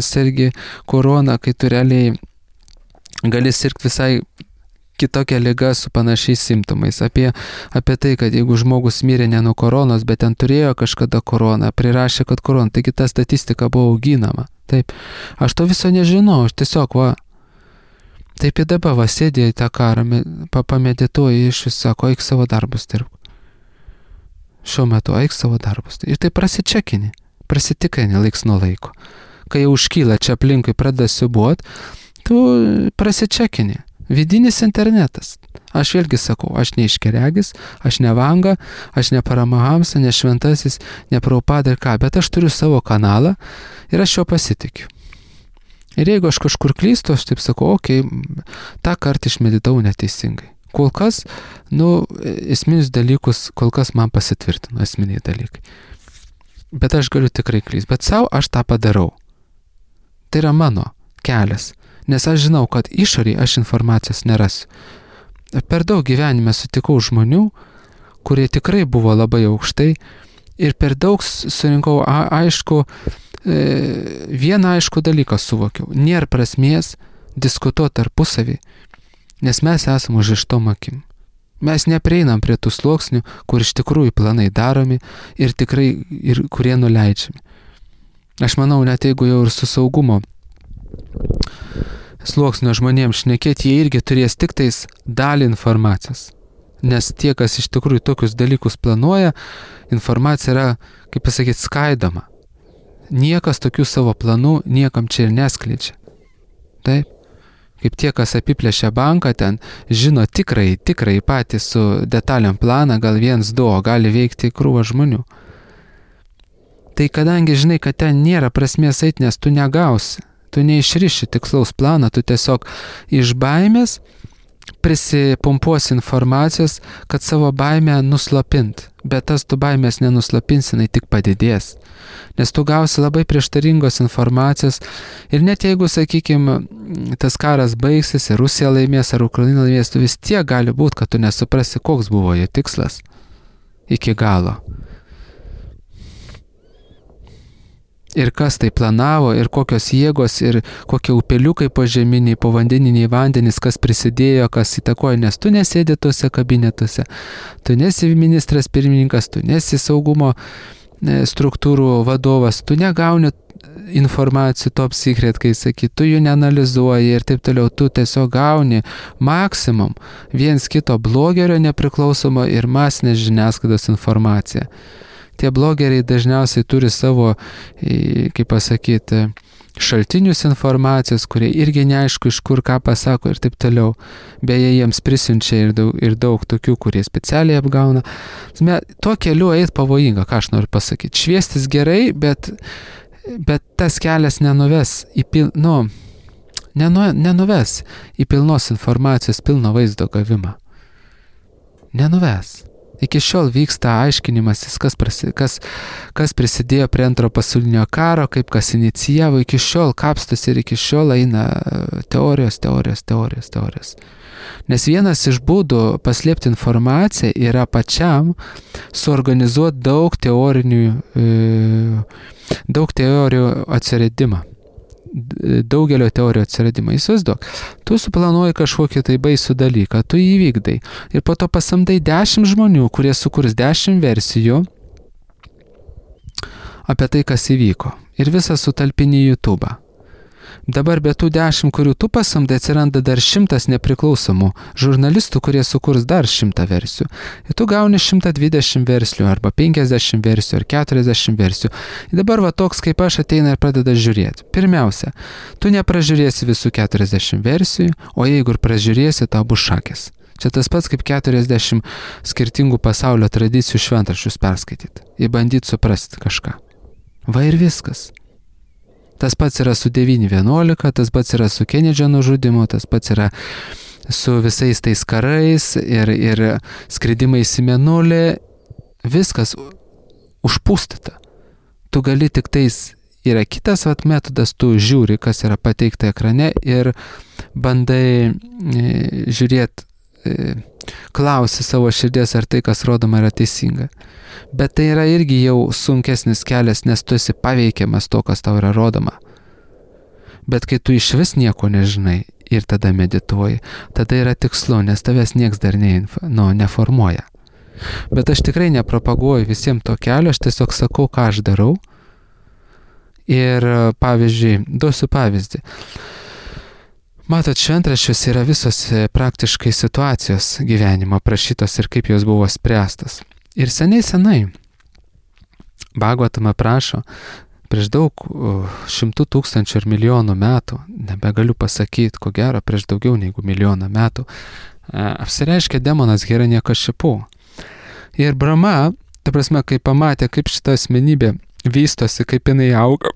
sergi korona, kai tu realiai gali sirgti visai kitokią ligą su panašiais simptomais, apie, apie tai, kad jeigu žmogus mirė ne nuo koronos, bet ten turėjo kažkada koroną, prirašė, kad korona, taigi ta statistika buvo auginama. Taip, aš to viso nežinau, aš tiesiog, va, taip ir dabar, va, sėdėjai tą karą, pamedituoji iš vis, sako, eik savo darbus dirbk. Šiuo metu eik savo darbus. Ir tai prasičekini, prasitikrini laiks nuo laiko. Kai jau užkyla čia aplinkui, pradeda siubuot, tu prasičekini. Vidinis internetas. Aš vėlgi sakau, aš ne iškeregis, aš ne Vanga, aš ne Paramahamsa, ne Šventasis, ne Prabhupada ir ką, bet aš turiu savo kanalą ir aš jo pasitikiu. Ir jeigu aš kažkur klystu, aš taip sakau, okei, okay, tą kartą išmeditavau neteisingai. Kol kas, nu, esminius dalykus, kol kas man pasitvirtino esminiai dalykai. Bet aš galiu tikrai klysti, bet savo aš tą padarau. Tai yra mano kelias, nes aš žinau, kad išoriai aš informacijos nerasiu. Per daug gyvenime sutikau žmonių, kurie tikrai buvo labai aukštai ir per daug surinkau a, aišku, e, vieną aišku dalyką suvokiau. Nėra prasmės diskutuoti tarpusavį, nes mes esame užrištom akim. Mes neprieinam prie tų sluoksnių, kur iš tikrųjų planai daromi ir tikrai ir kurie nuleidžiami. Aš manau, net jeigu jau ir su saugumo sluoksnio žmonėms šnekėti, jie irgi turės tik tais dalį informacijos. Nes tie, kas iš tikrųjų tokius dalykus planuoja, informacija yra, kaip pasakyti, skaidoma. Niekas tokių savo planų niekam čia ir neskleidžia. Taip. Kaip tie, kas apiplėšia banką, ten žino tikrai, tikrai patys su detaliam planą, gal viens, du, o gali veikti krūvą žmonių. Tai kadangi žinai, kad ten nėra prasmės eiti, nes tu negausi, tu neišriši tikslaus planą, tu tiesiog iš baimės prisipumpuosi informacijos, kad savo baimę nuslopint. Bet tas tu baimės nenuslopinsi, jinai tik padidės. Nes tu gausi labai prieštaringos informacijos ir net jeigu, sakykime, tas karas baigsis ir Rusija laimės ar Ukraina laimės, tu vis tiek gali būti, kad tu nesuprasi, koks buvo jo tikslas iki galo. Ir kas tai planavo, ir kokios jėgos, ir kokie upeliukai požeminiai, povandeniniai vandenys, kas prisidėjo, kas įtakoja, nes tu nesėdi tuose kabinetuose, tu nesi ministras pirmininkas, tu nesi saugumo struktūrų vadovas, tu negauni informacijų top secret, kai saky, tu jų neanalizuoji ir taip toliau, tu tiesiog gauni maksimum viens kito blogerio nepriklausomo ir masinės žiniasklaidos informaciją. Tie blogeriai dažniausiai turi savo, kaip pasakyti, šaltinius informacijos, kurie irgi neaišku iš kur ką pasako ir taip toliau. Beje, jiems prisiunčia ir daug, ir daug tokių, kurie specialiai apgauna. Tuo keliu eit pavojinga, ką aš noriu pasakyti. Šviestis gerai, bet, bet tas kelias nenuves į pil, nu, nenu, nenuves į pilnos informacijos, pilno vaizdo gavimą. Nenuves. Iki šiol vyksta aiškinimasis, kas, prasi, kas, kas prisidėjo prie antro pasaulinio karo, kaip kas inicijavo, iki šiol kapstus ir iki šiol eina teorijos, teorijos, teorijos, teorijos. Nes vienas iš būdų paslėpti informaciją yra pačiam suorganizuoti daug teorinių, daug teorijų atsiradimą. Daugelio teorijų atsiradimą. Įsivaizduok, tu suplanuoji kažkokį tai baisų dalyką, tu jį vykdai ir po to pasamdai dešimt žmonių, kurie sukurs dešimt versijų apie tai, kas įvyko ir visą sutalpini į YouTube. Dabar be tų dešimt, kurių tu pasamdai, atsiranda dar šimtas nepriklausomų žurnalistų, kurie sukurs dar šimtą versijų. Ir tu gauni šimtą dvidešimt versijų, arba penkiasdešimt versijų, ar keturiasdešimt versijų. Ir dabar va toks kaip aš ateina ir pradeda žiūrėti. Pirmiausia, tu nepražiūrėsi visų keturiasdešimt versijų, o jeigu ir pražiūrėsi, tau bus šakės. Čia tas pats kaip keturiasdešimt skirtingų pasaulio tradicijų šventraščius perskaityti. Ir bandyti suprasti kažką. Va ir viskas. Tas pats yra su devyni vienuolika, tas pats yra su Kenedžio nužudymu, tas pats yra su visais tais karais ir, ir skridimais į mėnulį. Viskas užpūstyta. Tu gali tik tais, yra kitas vat, metodas, tu žiūri, kas yra pateikta ekrane ir bandai e, žiūrėti, e, klausi savo širdies, ar tai, kas rodoma, yra teisinga. Bet tai yra irgi jau sunkesnis kelias, nes tu esi paveikiamas to, kas tau yra rodoma. Bet kai tu iš vis nieko nežinai ir tada medituoji, tada yra tikslu, nes tavęs nieks dar ne, nu, neformuoja. Bet aš tikrai nepropaguoju visiems to kelio, aš tiesiog sakau, ką aš darau. Ir pavyzdžiui, duosiu pavyzdį. Matot, šventraščiuose yra visos praktiškai situacijos gyvenimo aprašytos ir kaip jos buvo spręstas. Ir seniai senai Bhagavatam aprašo, prieš daug šimtų tūkstančių ir milijonų metų, nebegaliu pasakyti, ko gero prieš daugiau negu milijoną metų, apsireiškė demonas Hiranyakašipu. Ir Brahma, ta prasme, kai pamatė, kaip šita asmenybė vystosi, kaip jinai auga,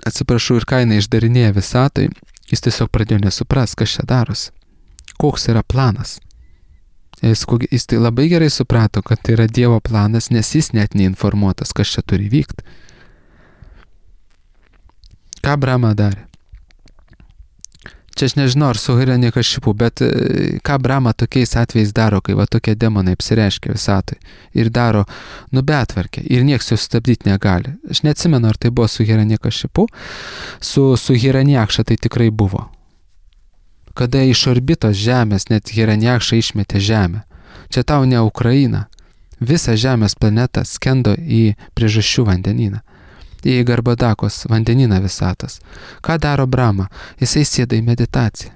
atsiprašau, ir ką jinai išdarinėja visatai, jis tiesiog pradėjo nesupras, kas čia darosi, koks yra planas. Jis, jis tai labai gerai suprato, kad tai yra Dievo planas, nes jis net neinformuotas, kas čia turi vykti. Ką Brahma darė? Čia aš nežinau, ar su Hiranyakašipu, bet ką Brahma tokiais atvejais daro, kai va tokie demonai apsireiškia visatui ir daro, nu betvarkę, ir nieks jų stabdyti negali. Aš neatsimenu, ar tai buvo su Hiranyakašipu, su, su Hiranyakša tai tikrai buvo. Kada iš orbitos Žemės net Hiranyakša išmetė Žemę. Čia tau ne Ukraina. Visa Žemės planeta skendo į priežasčių vandenyną. Į Garbadakos vandenyną visatos. Ką daro Brahma? Jisai sėda į meditaciją.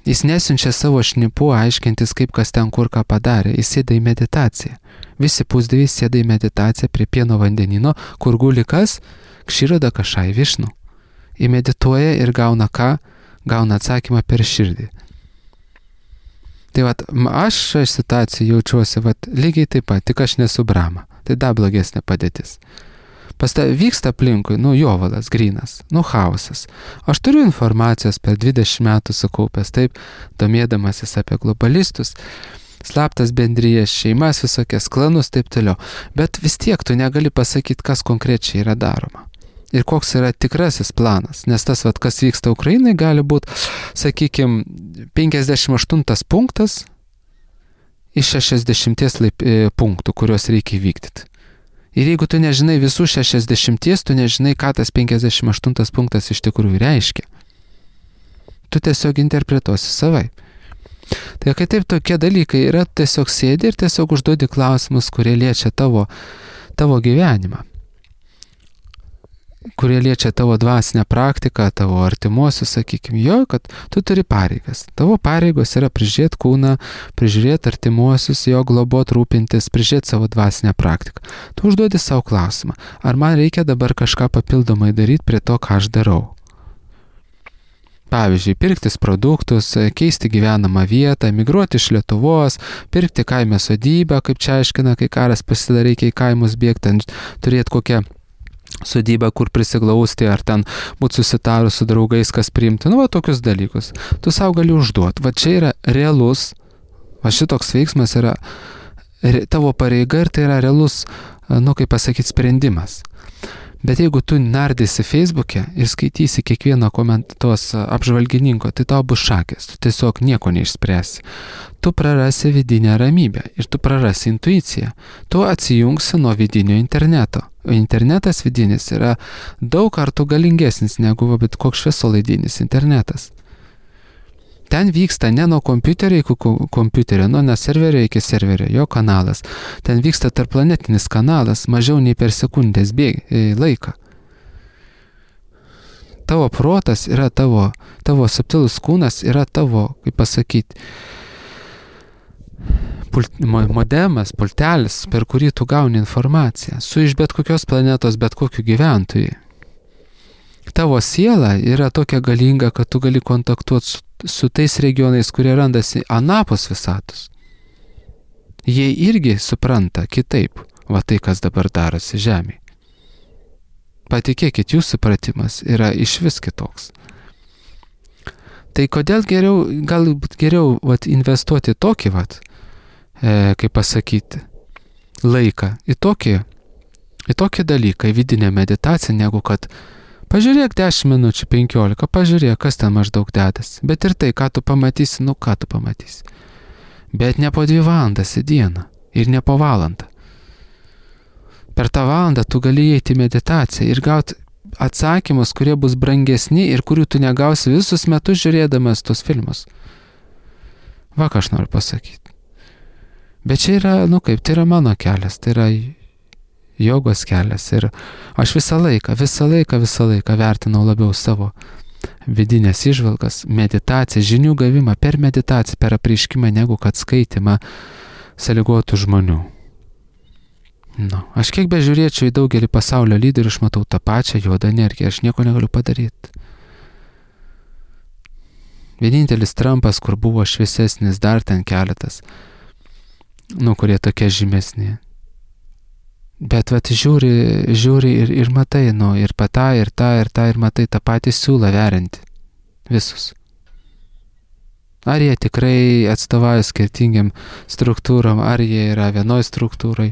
Jis nesiunčia savo šnipų aiškintis, kaip kas ten kur ką padarė. Jis sėda į meditaciją. Visi pusdieviai sėda į meditaciją prie pieno vandenino, kur guli kas? Kširodakašai Višnu. Įmedituoja ir gauna ką? Gauna atsakymą per širdį. Tai vat, aš šią situaciją jaučiuosi vat, lygiai taip pat, tik aš nesu Brahma. Tai dar blogesnė padėtis. Pas tai vyksta aplinkui, nu, jovalas, grynas, nu, chaosas. Aš turiu informacijos per dvidešimt metų sukaupęs, taip, domėdamasis apie globalistus, slaptas bendrijas, šeimas, visokias klanus, taip toliau. Bet vis tiek tu negali pasakyti, kas konkrečiai yra daroma. Ir koks yra tikrasis planas, nes tas, vat, kas vyksta Ukrainai, gali būti, sakykime, penkiasdešimt aštuntas punktas iš šešiasdešimties laip, e, punktų, kuriuos reikia įvykdyti. Ir jeigu tu nežinai visų šešiasdešimties, tu nežinai, ką tas penkiasdešimt aštuntas punktas iš tikrųjų reiškia. Tu tiesiog interpretuosi savai. Tai kai taip tokie dalykai yra, tiesiog sėdi ir tiesiog užduodi klausimus, kurie liečia tavo, tavo gyvenimą. Kurie liečia tavo dvasinę praktiką, tavo artimuosius, sakykime, jo, kad tu turi pareigas. Tavo pareigos yra prižiūrėti kūną, prižiūrėti artimuosius, jo globot, rūpintis, prižiūrėti savo dvasinę praktiką. Tu užduodi savo klausimą, ar man reikia dabar kažką papildomai daryti prie to, ką aš darau. Pavyzdžiui, pirktis produktus, keisti gyvenamą vietą, migruoti iš Lietuvos, pirkti kaime sodybę, kaip čia aiškina, kai karas pasidaro, reikia į kaimus bėgti, turėti kokią sodybą, kur prisiglausti, ar ten būti susitarus su draugais, kas priimti, nu, va, tokius dalykus. Tu savo gali užduoti. Va, čia yra realus, va, šitoks veiksmas yra re, tavo pareiga ir tai yra realus, nu, kaip pasakyti, sprendimas. Bet jeigu tu nardysi Facebook'e ir skaitysi kiekvieno komentos apžvalgininko, tai tau bus šakės, tu tiesiog nieko neišspręsi. Tu prarasi vidinę ramybę ir tu prarasi intuiciją. Tu atsijungsi nuo vidinio interneto. O internetas vidinis yra daug kartų galingesnis negu bet koks šviesolaidinis internetas. Ten vyksta ne nuo kompiuterio iki kompiuterio, nuo ne serverio iki serverio, jo kanalas. Ten vyksta tarpplanetinis kanalas, mažiau nei per sekundės bėgi laiką. Tavo protas yra tavo, tavo subtilus kūnas yra tavo, kaip pasakyti, pult, modemas, pultelis, per kurį tu gauni informaciją, su iš bet kokios planetos, bet kokiu gyventojui. Tavo siela yra tokia galinga, kad tu gali kontaktuoti su, su tais regionais, kurie randasi anapus visatos. Jie irgi supranta kitaip, va tai, kas dabar darosi Žemėje. Patikėkit, jų supratimas yra iš vis kitoks. Tai kodėl geriau, galbūt geriau vat, investuoti tokį, vat, e, kaip pasakyti, laiką į tokį, į tokį dalyką, į vidinę meditaciją, negu kad pažiūrėk dešimt minučių, penkiolika, pažiūrėk, kas ten maždaug dedas. Bet ir tai, ką tu pamatysi, nu ką tu pamatysi. Bet ne po dvi valandas į dieną ir ne po valandą. Per tą valandą tu gali įeiti į meditaciją ir gauti atsakymus, kurie bus brangesni ir kurių tu negausi visus metus žiūrėdamas tos filmus. Va, ką aš noriu pasakyti. Bet čia yra, nu kaip, tai yra mano kelias, tai yra jogos kelias ir aš visą laiką, visą laiką, visą laiką vertinau labiau savo vidinės įžvalgas, meditaciją, žinių gavimą per meditaciją, per apreiškimą, negu kad skaitimą sąlygotų žmonių. Nu, aš kiek bežiūrėčiau į daugelį pasaulio lyderių, aš matau tą pačią juodą energiją, aš nieko negaliu padaryti. Vienintelis Trumpas, kur buvo šviesesnis, dar ten keletas, nu, kurie tokie žymesni. Bet vat žiūri, žiūri ir, ir matai, nu, ir patą, ir tą, ir tą, ir matai tą patį siūlą veriantį. Visus. Ar jie tikrai atstovauja skirtingiam struktūram, ar jie yra vienoj struktūrai.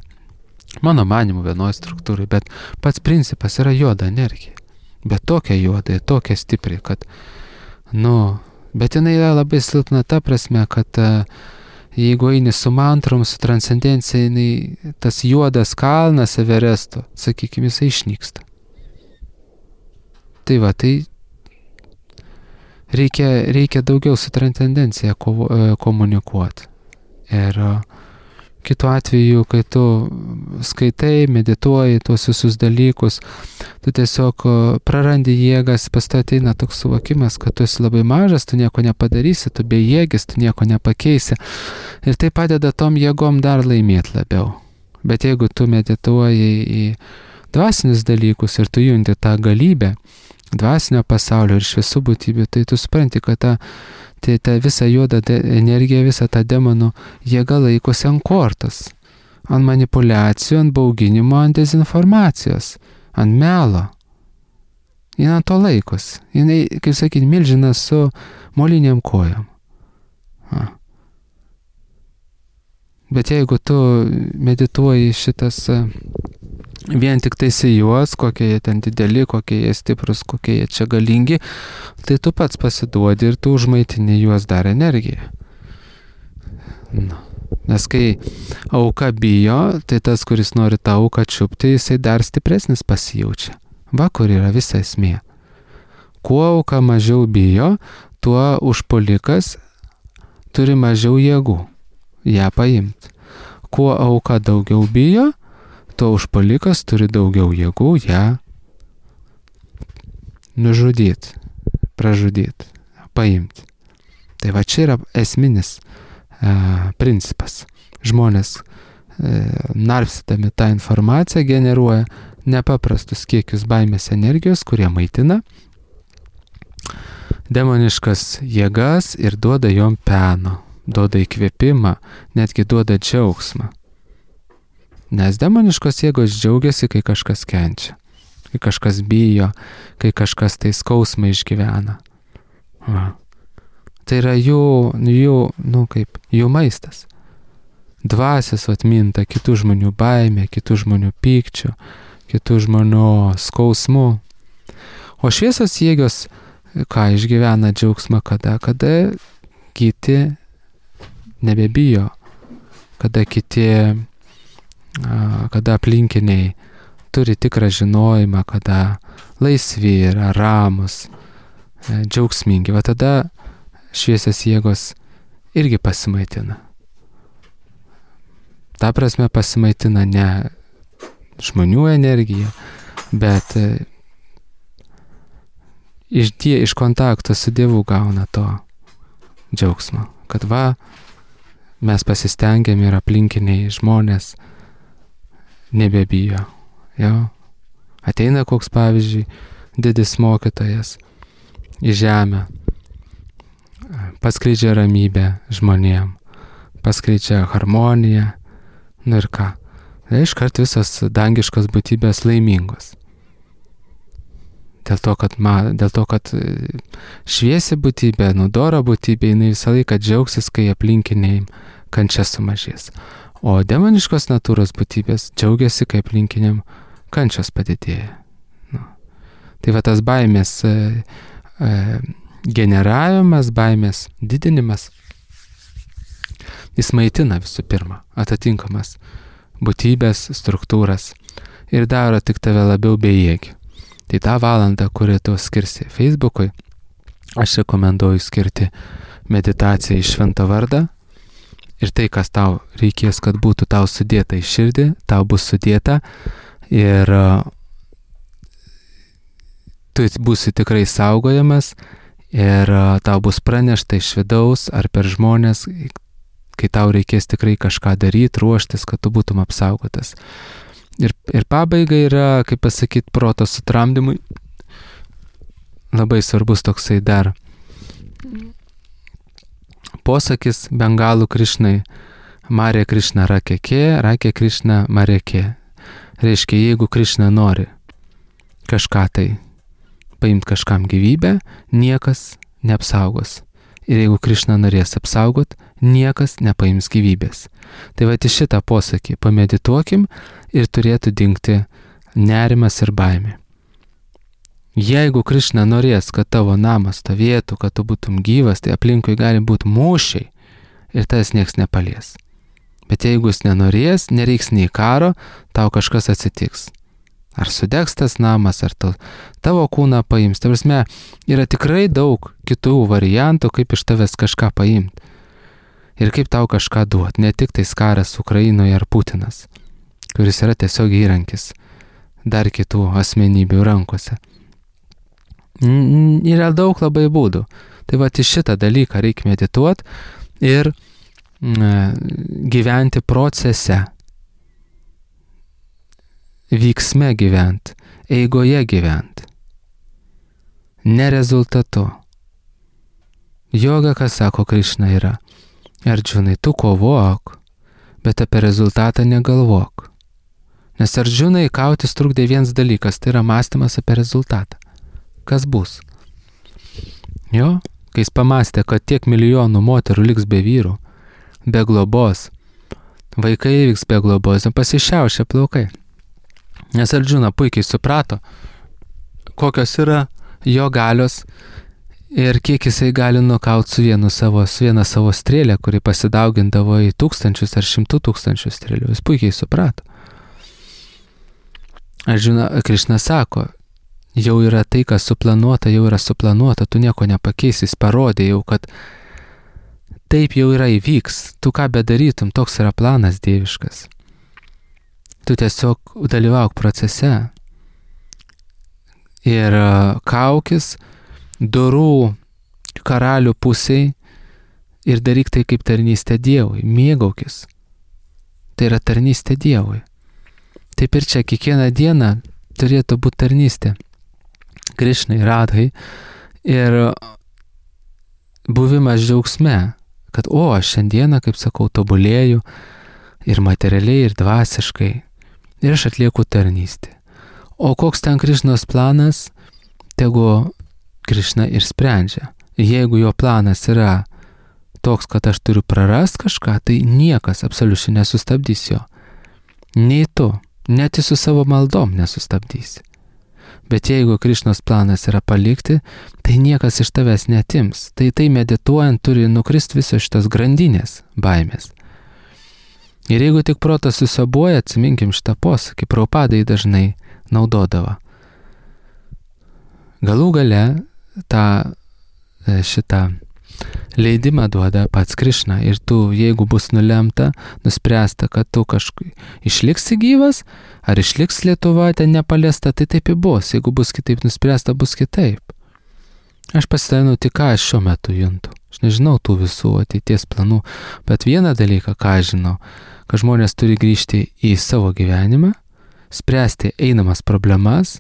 Mano manimu vienoj struktūrai, bet pats principas yra juoda energija. Bet tokia juoda ir tokia stipri, kad, nu, bet jinai yra labai silpna ta prasme, kad uh, jeigu eini su mantrom, su transcendencija, jinai, tas juodas kalnas Everesto, sakykime, jisai išnyksta. Tai va, tai reikia, reikia daugiau su transcendencija kovo, komunikuoti. Ir uh, kitu atveju, kai tu skaitai, medituoji tuos visus dalykus, tu tiesiog prarandi jėgas, pas tai ateina toks suvokimas, kad tu esi labai mažas, tu nieko nepadarysi, tu bejėgis, tu nieko nepakeisi. Ir tai padeda tom jėgom dar laimėti labiau. Bet jeigu tu medituoji į dvasinius dalykus ir tu junti tą galybę dvasinio pasaulio ir šviesų būtybių, tai tu supranti, kad ta Tai ta visa juoda energija, visa ta demonų jėga laikosi ant kortos, ant manipulacijų, ant bauginimo, ant dezinformacijos, ant melo. Jis ant to laikosi. Jis, kaip sakyti, milžinas su moliniam kojom. Ha. Bet jeigu tu medituoji šitas vien tik tais į juos, kokie jie ten dideli, kokie jie stiprus, kokie jie čia galingi, tai tu pats pasiduodi ir tu užmaitini juos dar energiją. Nu. Nes kai auka bijo, tai tas, kuris nori tą auką čiupti, jisai dar stipresnis pasijaučia. Va, kur yra visa esmė. Kuo auka mažiau bijo, tuo užpuolikas turi mažiau jėgų ją paimti. Kuo auka daugiau bijo, tuo užpuolikas turi daugiau jėgų ją nužudyti, pražudyti, paimti. Tai va čia yra esminis e, principas. Žmonės e, narstydami tą informaciją generuoja nepaprastus kiekius baimės energijos, kurie maitina demoniškas jėgas ir duoda jom peno, duoda įkvėpimą, netgi duoda džiaugsmą. Nes demoniškos jėgos džiaugiasi, kai kažkas kenčia, kai kažkas bijo, kai kažkas tai skausmą išgyvena. Va. Tai yra jų, jų, nu kaip, jų maistas. Dvasios atminta kitų žmonių baimė, kitų žmonių pykčių, kitų žmonių skausmų. O šviesos jėgos, ką išgyvena džiaugsmą, kada, kada kiti nebebijo, kada kiti kada aplinkiniai turi tikrą žinojimą, kada laisvi yra, ramus, džiaugsmingi. Va tada šviesios jėgos irgi pasimaitina. Ta prasme pasimaitina ne žmonių energija, bet iš, die, iš kontakto su Dievu gauna to džiaugsmo. Kad va, mes pasistengėm ir aplinkiniai žmonės nebebijo. Jo. Ateina koks, pavyzdžiui, didis mokytojas į žemę, paskleidžia ramybę žmonėm, paskleidžia harmoniją, nu ir ką. Tai iškart visos dangiškos būtybės laimingos. Dėl to, kad, ma, dėl to, kad šviesi būtybė, nudora būtybė, jinai visą laiką džiaugsis, kai aplinkiniai kančia sumažės. O demoniškos natūros būtybės džiaugiasi, kai aplinkiniam kančios padidėja. Nu. Tai va tas baimės e, e, generavimas, baimės didinimas, jis maitina visų pirma atitinkamas būtybės, struktūras ir daro tik tave labiau bejėgį. Tai tą valandą, kurį tu skirsi Facebookui, aš rekomenduoju skirti meditaciją į šventą vardą. Ir tai, kas tau reikės, kad būtų tau sudėta į širdį, tau bus sudėta ir uh, tu būsi tikrai saugojamas ir uh, tau bus pranešta iš vidaus ar per žmonės, kai tau reikės tikrai kažką daryti, ruoštis, kad tu būtum apsaugotas. Ir, ir pabaiga yra, kaip pasakyti, proto sutramdymui. Labai svarbus toksai dar posakis bengalų Krišnai. Marė Krišna rakekė, rakė Krišna marekė. Reiškia, jeigu Krišna nori kažką tai paimti kažkam gyvybę, niekas neapsaugos. Ir jeigu Krišna norės apsaugot, niekas nepaims gyvybės. Tai va, iš šitą posakį pamedituokim ir turėtų dingti nerimas ir baimė. Jeigu Krišna norės, kad tavo namas stovėtų, kad tu būtum gyvas, tai aplinkui gali būti mūšiai ir tas nieks nepalies. Bet jeigu jis nenorės, nereiks nei karo, tau kažkas atsitiks. Ar sudegs tas namas, ar tu, tavo kūną paims. Tai prasme, yra tikrai daug kitų variantų, kaip iš tavęs kažką paimti. Ir kaip tau kažką duot. Ne tik tais karas Ukrainoje ar Putinas, kuris yra tiesiog įrankis dar kitų asmenybių rankose. Yra daug labai būdų. Tai va, į šitą dalyką reikia medituoti ir gyventi procese. Vyksme gyvent, eigoje gyvent, ne rezultatu. Joga, kas sako Krišna, yra: Arjunai, tu kovok, bet apie rezultatą negalvok. Nes Arjunai kautis trukdė vienas dalykas, tai yra mąstymas apie rezultatą. Kas bus? Jo, kai jis pamastė, kad tiek milijonų moterų liks be vyrų, be globos, vaikai vyks be globos, pasišiaušė plaukai. Nes Arjuna puikiai suprato, kokios yra jo galios ir kiek jisai gali nukauti su vienu savo, su viena savo strėlė, kuri pasidaugindavo į tūkstančius ar šimtų tūkstančių strėlių. Jis puikiai suprato. Arjuna, Krišna sako, jau yra tai, kas suplanuota, jau yra suplanuota, tu nieko nepakeisi, jis parodė jau, kad taip jau yra įvyks, tu ką bedarytum, toks yra planas dieviškas. Tu tiesiog dalyvauk procese ir kaukis dorų karalių pusiai ir daryk tai kaip tarnystė Dievui, mėgaukis. Tai yra tarnystė Dievui. Taip ir čia kiekvieną dieną turėtų būti tarnystė Krišnai, Radhai ir buvimas džiaugsme, kad o, aš šiandieną, kaip sakau, tobulėju ir materialiai, ir dvasiškai. Ir aš atlieku tarnystę. O koks ten Krišnos planas, tegu Krišna ir sprendžia. Jeigu jo planas yra toks, kad aš turiu prarast kažką, tai niekas absoliučiai nesustabdys jo. Nei tu, net su savo maldom nesustabdysi. Bet jeigu Krišnos planas yra palikti, tai niekas iš tavęs netims. Tai tai medituojant turi nukristi visos šitos grandinės baimės. Ir jeigu tik protas susiabuoja, atsiminkim šitą posakį, Prabhupadai dažnai naudodavo. Galų gale tą šitą leidimą duoda pats Krišna ir tu, jeigu bus nulemta, nuspręsta, kad tu kažkaip išliksi gyvas, ar išliks Lietuva ten nepaliesta, tai taip ir bus. Jeigu bus kitaip nuspręsta, bus kitaip. Aš pasidalinau tik, ką aš šiuo metu juntu. Aš nežinau tų visų ateities planų, bet vieną dalyką, ką aš žinau, kad žmonės turi grįžti į savo gyvenimą, spręsti einamas problemas,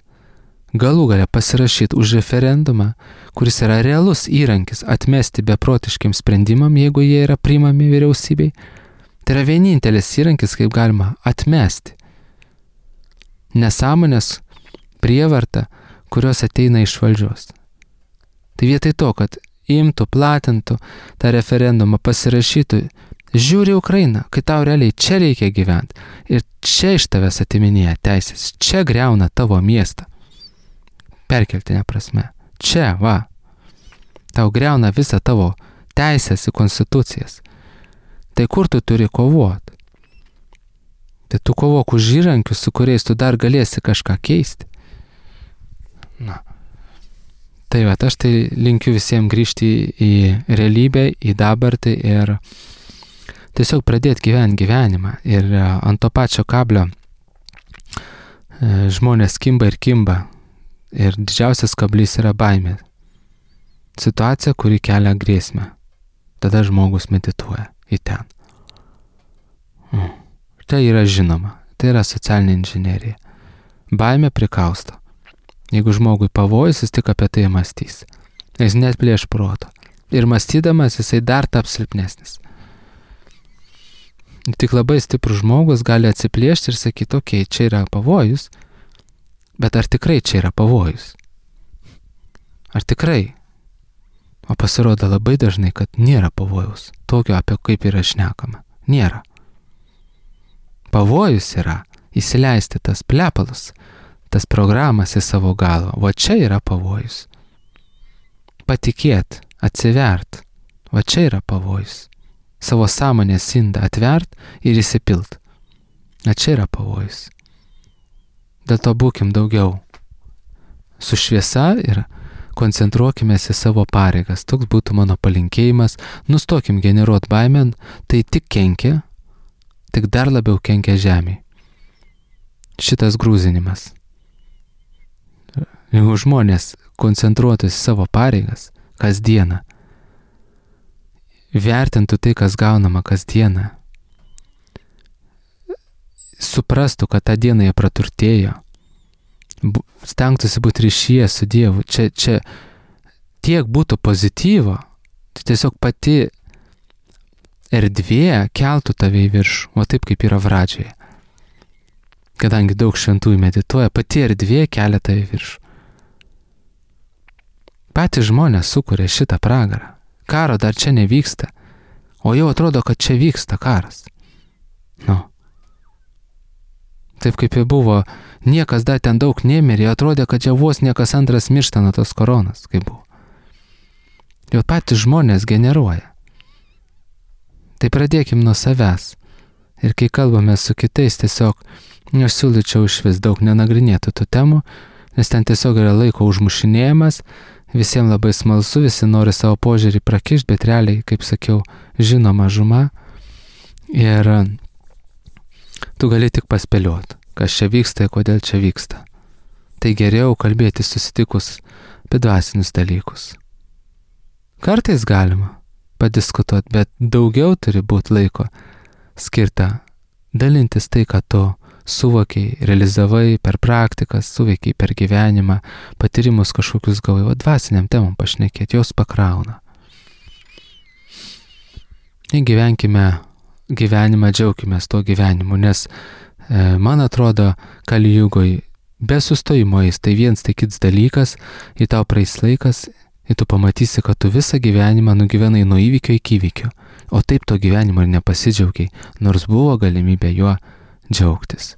galų gale pasirašyti už referendumą, kuris yra realus įrankis atmesti beprotiškiam sprendimam, jeigu jie yra priimami vyriausybei. Tai yra vienintelis įrankis, kaip galima atmesti nesąmonės, prievartą, kurios ateina iš valdžios. Tai vietoj to, kad imtų, platintų tą referendumą, pasirašytų, žiūri Ukrainą, kai tau realiai čia reikia gyventi ir čia iš tavęs atiminėja teisės, čia griauna tavo miestą. Perkeltinė prasme. Čia, va. Tau griauna visą tavo teisės į konstitucijas. Tai kur tu turi kovoti? Tai tu kovok už įrankius, su kuriais tu dar galėsi kažką keisti. Na. Tai va, aš tai linkiu visiems grįžti į realybę, į dabartį ir tiesiog pradėti gyventi gyvenimą. Ir ant to pačio kablio žmonės kimba ir kimba. Ir didžiausias kablys yra baimė. Situacija, kuri kelia grėsmę. Tada žmogus medituoja į ten. Tai yra žinoma. Tai yra socialinė inžinerija. Baimė prikausto. Jeigu žmogui pavojus, jis tik apie tai mąstys. Jis net plėš proto. Ir mąstydamas jisai dar taps silpnesnis. Tik labai stiprus žmogus gali atsiplėšti ir sakyti, okei, okay, čia yra pavojus, bet ar tikrai čia yra pavojus? Ar tikrai? O pasirodo labai dažnai, kad nėra pavojus, tokio apie kaip yra šnekama. Nėra. Pavojus yra įsileisti tas plepalus, tas programas į savo galvą. Va čia yra pavojus. Patikėt, atsivert. Va čia yra pavojus. Savo sąmonės indą atvert ir įsipilt. Va čia yra pavojus. Dėl to būkim daugiau su šviesa ir koncentruokimės į savo pareigas. Toks būtų mano palinkėjimas. Nustokim generuot baimę, tai tik kenkia, tik dar labiau kenkia žemėje. Šitas grūzinimas. Jeigu žmonės koncentruotųsi savo pareigas kasdieną, vertintų tai, kas gaunama kasdieną, suprastų, kad tą dieną jie praturtėjo, stengtųsi būti ryšyje su Dievu, čia, čia tiek būtų pozityvo, tai tiesiog pati erdvė keltų tave į viršų, o taip kaip yra pradžioje. Kadangi daug šventųjų medituoja, pati erdvė kelia tave į viršų. Patys žmonės sukuria šitą pragarą. Karo dar čia nevyksta, o jau atrodo, kad čia vyksta karas. Nu. Taip kaip ir buvo, niekas dar ten daug nemirė, atrodė, kad jau vos niekas antras miršta nuo tos koronas, kaip buvo. Jau patys žmonės generuoja. Tai pradėkim nuo savęs. Ir kai kalbame su kitais, tiesiog aš siūlyčiau iš vis daug nenagrinėtų tų temų, nes ten tiesiog yra laiko užmušinėjimas, visiems labai smalsu, visi nori savo požiūrį prakišti, bet realiai, kaip sakiau, žino mažuma. Ir tu gali tik paspėlioti, kas čia vyksta ir kodėl čia vyksta. Tai geriau kalbėti susitikus apie dvasinius dalykus. Kartais galima padiskutuoti, bet daugiau turi būti laiko skirta dalintis tai, ką tu suvokiai, realizavai per praktikas, suveikiai per gyvenimą, patyrimus kažkokius gavai, o dvasiniam temom pašnekėti, jos pakrauna. Ir gyvenkime gyvenimą, džiaukimės tuo gyvenimu, nes e, man atrodo, Kali Jugoj be sustojimo eis, tai viens tai kits dalykas, į tau praeis laikas, ir tu pamatysi, kad tu visą gyvenimą nugyvenai nuo įvykio iki įvykio, o taip to gyvenimo ir nepasidžiaugiai, nors buvo galimybė juo džiaugtis.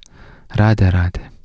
Radė, radė.